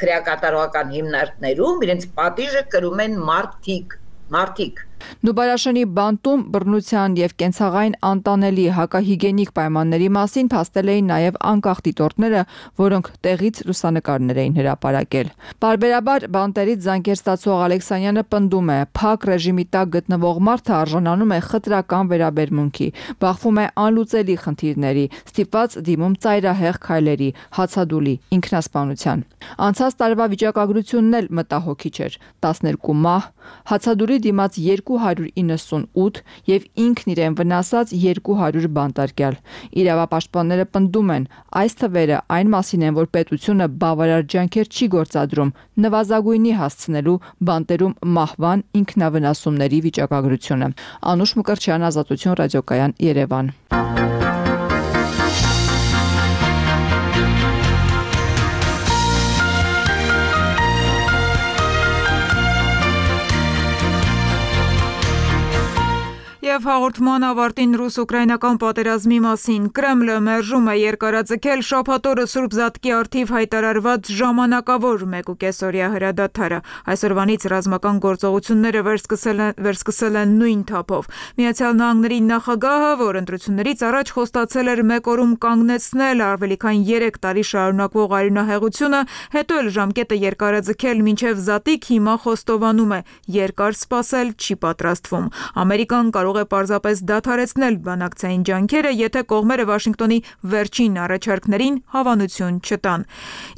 քրեակատարողական հիմնարկներում իրենց պատիժը կրում են մարդիկ, մարդիկ։ Նուբարաշենի բանտում բռնության եւ կենցաղային անտանելի հակահիգենիկ պայմանների մասին փաստել էին նաեւ անկախ դիտորդները, որոնք տեղից լուսանկարներ էին հրապարակել։ Բարբերաբար բանտերից զանգեր ստացող Ալեքսանյանը պնդում է, փակ ռեժիմի տակ գտնվող մարդը արժանանում է խտրական վերաբերմունքի, բախվում է անլուծելի խնդիրների, ստիպված դիմում ծայրահեղ քայլերի, հացադուլի, ինքնասպանության։ Անցած տարվա վիճակագրությունն էլ մտահոգիչ էր՝ տասներկու մահ, հացադուլի դիմաց երկու երկու հարյուր իննսունութ եւ ինքն իրեն վնասած երկու հարյուր բանտարկյալ։ Իրավապաշտպանները պնդում են, այս թվերը այն մասին են, որ պետությունը բավարար ջանքեր չի գործադրում նվազագույնի հասցնելու բանտերում մահվան ինքնավնասումների վիճակագրությունը։ Անուշ Մկրտչյան, Ազատություն ռադիոկայան, Երևան։ Եվ հաղորդման ավարտին ռուս-ուկրաինական պատերազմի մասին Կրեմլը մերժում է երկարաձգել շաբաթօրը Սուրբ Զատկի առթիվ հայտարարված ժամանակավոր մեկուկեսօրյա հրադադարը։ Այսօրվանից ռազմական գործողությունները վերսկսել են նույն թափով։ Միացյալ Նահանգների նախագահը, որ ընտրություններից առաջ խոստացել էր մեկ օրում կանգնեցնել ավելի քան երեք տարի շարունակվող արյունահեղությունը, հետո էլ ժամկետը երկարաձգել մինչև Զատիկ, հիմա խոստովանում է՝ երկար սպասել չի պատրաստվում։ Ամերիկան կարող է պարզապես դադարեցնել բանակցային ջանքերը, եթե կողմերը Վաշինգտոնի վերջին առաջարկներին հավանություն չտան։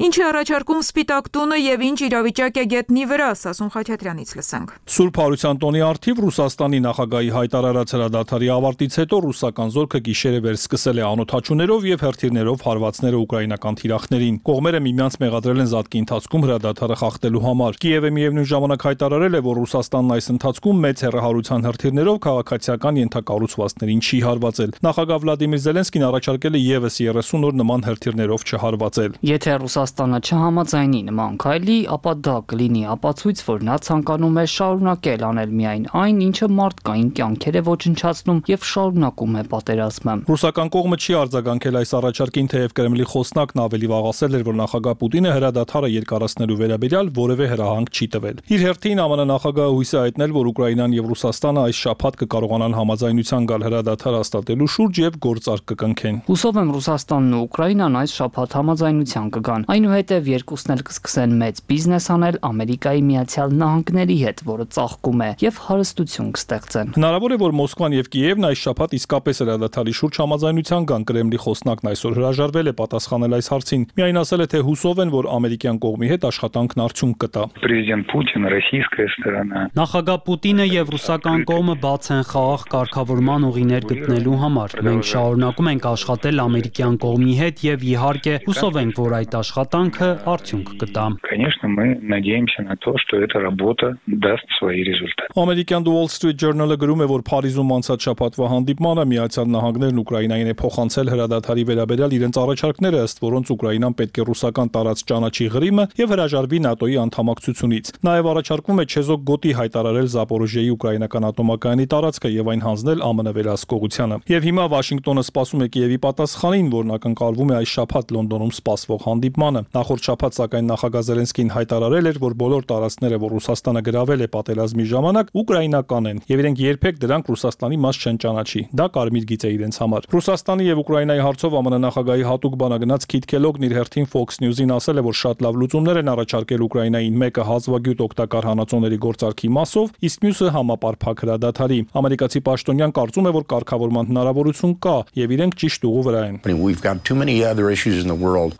Ինչ է առաջարկում Սպիտակ տունը եւ ինչ իրավիճակ է գետնի վրա, Սասուն Խաչատրյանից լսենք։ Սուրբ Հարության տոնի առթիվ Ռուսաստանի նախագահի հայտարարած հրադադարի ավարտից հետո ռուսական զորքը գիշերը վերսկսել է անօդաչուներով եւ հրթիռներով հարվածները ուկրաինական թիրախներին։ Կողմերը միմյանց մեղադրել են Զատկի ընթացքում հրադադարը խախտելու համար։ Կիևը միևնույն ժամանակ հայտարարել է, որ Ռուսաստանն այս ընթացքում մեծ հեռահարության հրթիռներով քաղաքացիական ենթակառուցվածքներին չի հարվածել։ Նախագահ Վլադիմիր Զելենսկին առաջարկել է եւս երեսուն օր նման հրթիռներով չհարվածել։ Եթե Ռուսաստանը չհամաձայնի նման քայլի, ապա դա կլինի ապացույց, որ նա ցանկանում է շարունակել անել միայն այն, ինչը մարդկային կյանքեր է ոչնչացնում եւ շարունակում է պատերազմը։ Ռուսական կողմը չի արձագանքել այս առաջարկին, թեև Կրեմլի խոսնակն ավելի վաղ ասել էր, որ նախագահ Պուտինը հրադադարը երկարացնելու վերաբերյալ որևէ հրահանգ չի տվել։ Իր հերթին ԱՄՆ նախագահը հույս է հայտնել, որ Ուկրաինան եւ Ռուսաստանը այս շաբաթ կկարողանան համաձայնության գալ հրադադար հաստատելու շուրջ եւ գործարք կկնքեն։ Հուսով եմ Ռուսաստանն ու Ուկրաինան այս շաբաթ համաձայնության կգան։ Այնուհետև երկուսն էլ կսկսեն մեծ բիզնես անել Ամերիկայի Միացյալ Նահանգների հետ, որը ծաղկում է, եւ հարստություն կստեղծեն։ Հնարավոր է, որ Մոսկվան եւ Կիևն այս շաբաթ իսկապես հրադադարի շուրջ համաձայնության գան։ Կրեմլի խոսնակն այսօր հրաժարվել է պատասխանել այս հարցին։ Միայն ասել է, թե հուսով են, որ ամերիկյան կողմի հետ աշխատանքն արդյունք կտա։ Պրեզիդենտ Պուտին, ռոսիյская сторона։ Նախագահ Պուտինը եւ ռուսական կողմը բաց են խաղաղ կարգավորման ուղիներ գտնելու համար։ Մենք շարունակում ենք աշխատել ամերիկյան կողմի հետ եւ իհարկե հուսով ենք, որ այդ աշխատանքը արդյունք կտա։ Конечно, мы надеемся на то, что эта работа даст свои результаты։ Ամերիկյան The Wall Street Journal-ը գրում է, որ Փարիզում անցած շաբաթվա հանդիպմանը Միացյալ Նահանգներն Ուկրաինային է փոխանցել հրադադարի վերաբերյալ իրենց առաջարկները, ըստ որոնց Ուկրաինան պետք է ռուսական տարած ճանաչի Ղրիմը եւ հրաժարվի ՆԱՏՕ-ի անդամակցությունից։ Նաեւ առաջարկվում է չեզոք գոտի հայտարարել Զապորոժիեի ուկրաինական ատոմակայանի տարածքը եւ այն հանձնել ԱՄՆ վերահսկողությանը։ Եվ հիմա Վաշինգտոնը սպասում է Կիևի պատասխանին, որն ակնկալվում է այս շաբաթ Լոնդոնում սպասվող հանդիպմանը։ Նախորդ շաբաթ սակայն նախագահ Զելենսկին հայտարարել էր, որ բոլոր տարածքները, որ Ռուսաստանը գրավել է պատերազմի ժամանակ, ուկրաինական են եւ իրենք երբեք դրանք Ռուսաստանի մաս չեն ճանաչի։ Դա կարմիր գիծ է իրենց համար։ Ռուսաստանի եւ Ուկրաինայի հարցով ԱՄՆ նախագահի հատուկ բանագնաց Քիթ Քելոգն իր հերթին Fox News-ին ասել է, որ շատ լավ լուծումներ են առաջարկել Ուկրաինային, մեկը հազվագյուտ օգտակար հանածոների գործարքի մասով, իսկ մյուսը համապարփակ հրադադարի։ Ամերիկացի պաշտոնյան կարծում է, որ կարգավորման հնարավորություն կա եւ իրենք ճիշտ ուղու վրա են։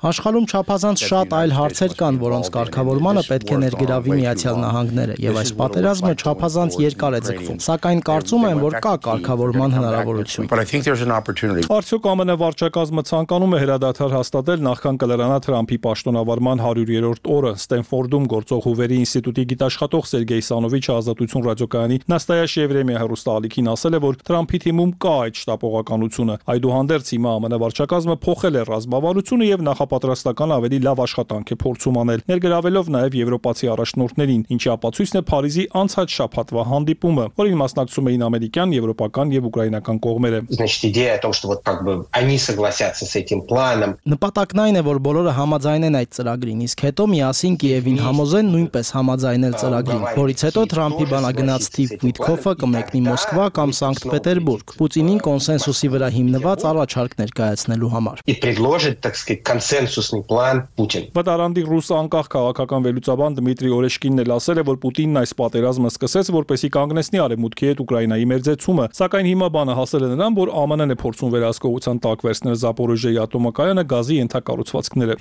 Աշխարհում չափազանց շատ այլ հարցեր կան, որոնց կարգավորմանը պետք է ներգրավի Միացյալ Նահանգները, եւ այս պատերազմը չափազանց երկար է ձգվում։ Սակայն կարծում եմ, որ կա կարգավորման հնարավորություն։ Արդյոք ԱՄՆ վարչակազմը ցանկանում է հրադադար հաստատել, նախքան կլրանա Թրամփի պաշտոնավարման հարյուրերորդ օրը։ Ստենֆորդում գործող Հուվերի ինստիտուտի գիտաշխատող Սերգեյ Սանովիչը Ազատություն ռադիոկայանի Նաստայաշ Եվրեմիա հեռուստաալիքին ասել է, որ Թրամփի թիմում կա այդ շտապողականությունը։ Այդուհանդերձ հիմա ԱՄՆ վարչակազմը փոխել է ռազմավարությունը եւ նախապատրաստական ավելի լավ աշխատանք է փորձում անել, ներգրավելով նաեւ եվրոպացի առաջնորդներին, ինչի ապացույցն է Փարիզի անցած շաբաթվա հանդիպումը, որին մասնակցում էին ամերիկյան, եվրոպական եւ ուկրաինական կողմերը։ Նպատակն այն է, որ բոլորը համաձայնեն այդ ծրագրին, իսկ հետո միասին Կիևին համոզեն նույնպես համաձայնել ծրագրին, որից հետո Թրամփի բանագնաց Սթիվ Ուիթքոֆը կմեկնի Մոսկվա Մոսկվա կամ Սանկտ Պետերբուրգ, Պուտինին կոնսենսուսի վրա հիմնված առաջարկ ներկայացնելու համար։ Վտարանդի ռուս անկախ քաղաքական վերլուծաբան Դմիտրի Օրեշկինն էլ ասել է, որ Պուտինն այս պատերազմը սկսեց, որպեսզի կանգնեցնի արևմուտքի հետ Ուկրաինայի մերձեցումը, սակայն հիմա բանը հասել է նրան, որ ԱՄՆ-ն է փորձում վերահսկողության տակ վերցնել Զապորոժիայի ատոմակայանը գազի ենթակառուցվածքները։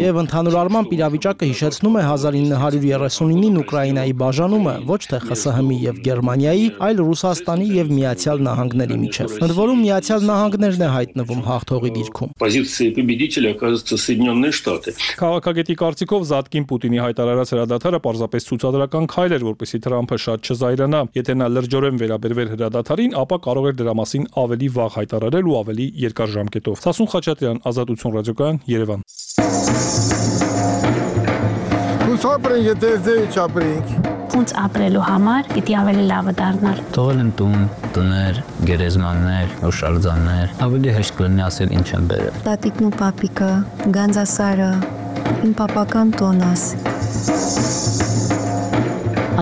Եվ ընդհանուր առմամբ իրավիճակը հիշեցնում է հազար ինը հարյուր երեսունինին Ուկրաինայի բաժանումը ոչ թե ԽՍՀՄ-ի եւ Գերմանիայի, այլ Ռուսաստանի եւ Միացյալ Նահանգների միջև։ Ընդ որում Միացյալ Նահանգներն է հայտնվում հաղթողի դիրքում։ Քաղաքագետի կարծիքով Զատկին Պուտինի հայտարարած հրադադարը պարզապես ցուցադրական քայլ էր, որպեսզի Թրամփը շատ չզայրանա։ Եթե նա լրջորեն վերաբերվեր հրադադարին, ապա կարող էր դրա մասին ավելի վաղ հայտարարել ու ավելի երկար ժամկետով։ Սասուն Խաչատրյան, Ազատություն ռադիոկայան, Երևան։ Ապրենք, եթե ձեի չապրենք։ Ոնց ապրելու համար պիտի ավելի լավը դառնար։ Թողել են տուն, տներ, գերեզմաններ, հուշարձաններ, ավելի հեշտ կլինի ասել ինչ են բերել։ Տատիկն ու պապիկը, Գանձասարը, իմ պապական տոնս։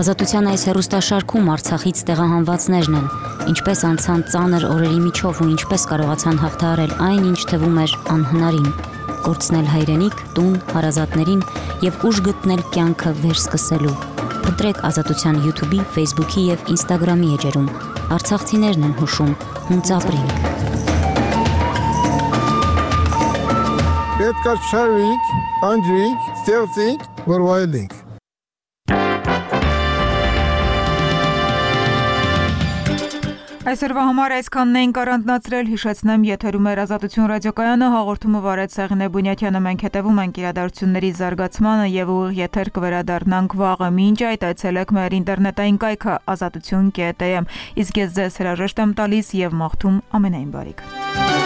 Ազատության այս հեռուստաշարքում Արցախից տեղահանվածներն են, ինչպես անցան ծանր օրերի միջով ու ինչպես կարողացան հաղթահարել այն, ինչ թվում էր անհնարին, կորցնել հայրենիք, տուն, հարազատներին եւ ուժ գտնել կյանքը վերսկսելու։ Ընտրեք Ազատության YouTube-ի, Facebook-ի եւ Instagram-ի էջերում։ Արցախցիներն են հուշում, հունց ապրենք։ Պետք է շարվենք, անջրենք, ստեղծենք, որ վայելենք։ Այսօրվա համար այսքանն էինք առանձնացրել, հիշեցնեմ, եթերում էր Ազատություն ռադիոկայանը, հաղորդումը վարեց Սեղինե Բունյաթյանը, մենք հետևում ենք իրադարձությունների զարգացմանը եւ ուղիղ եթեր կվերադառնանք վաղը, մինչ այդ այցելեք մեր ինտերնետային կայքը ազատություն կետ է, իսկ ես ձեզ հրաժեշտ եմ տալիս եւ մաղթում ամենայն բարիք։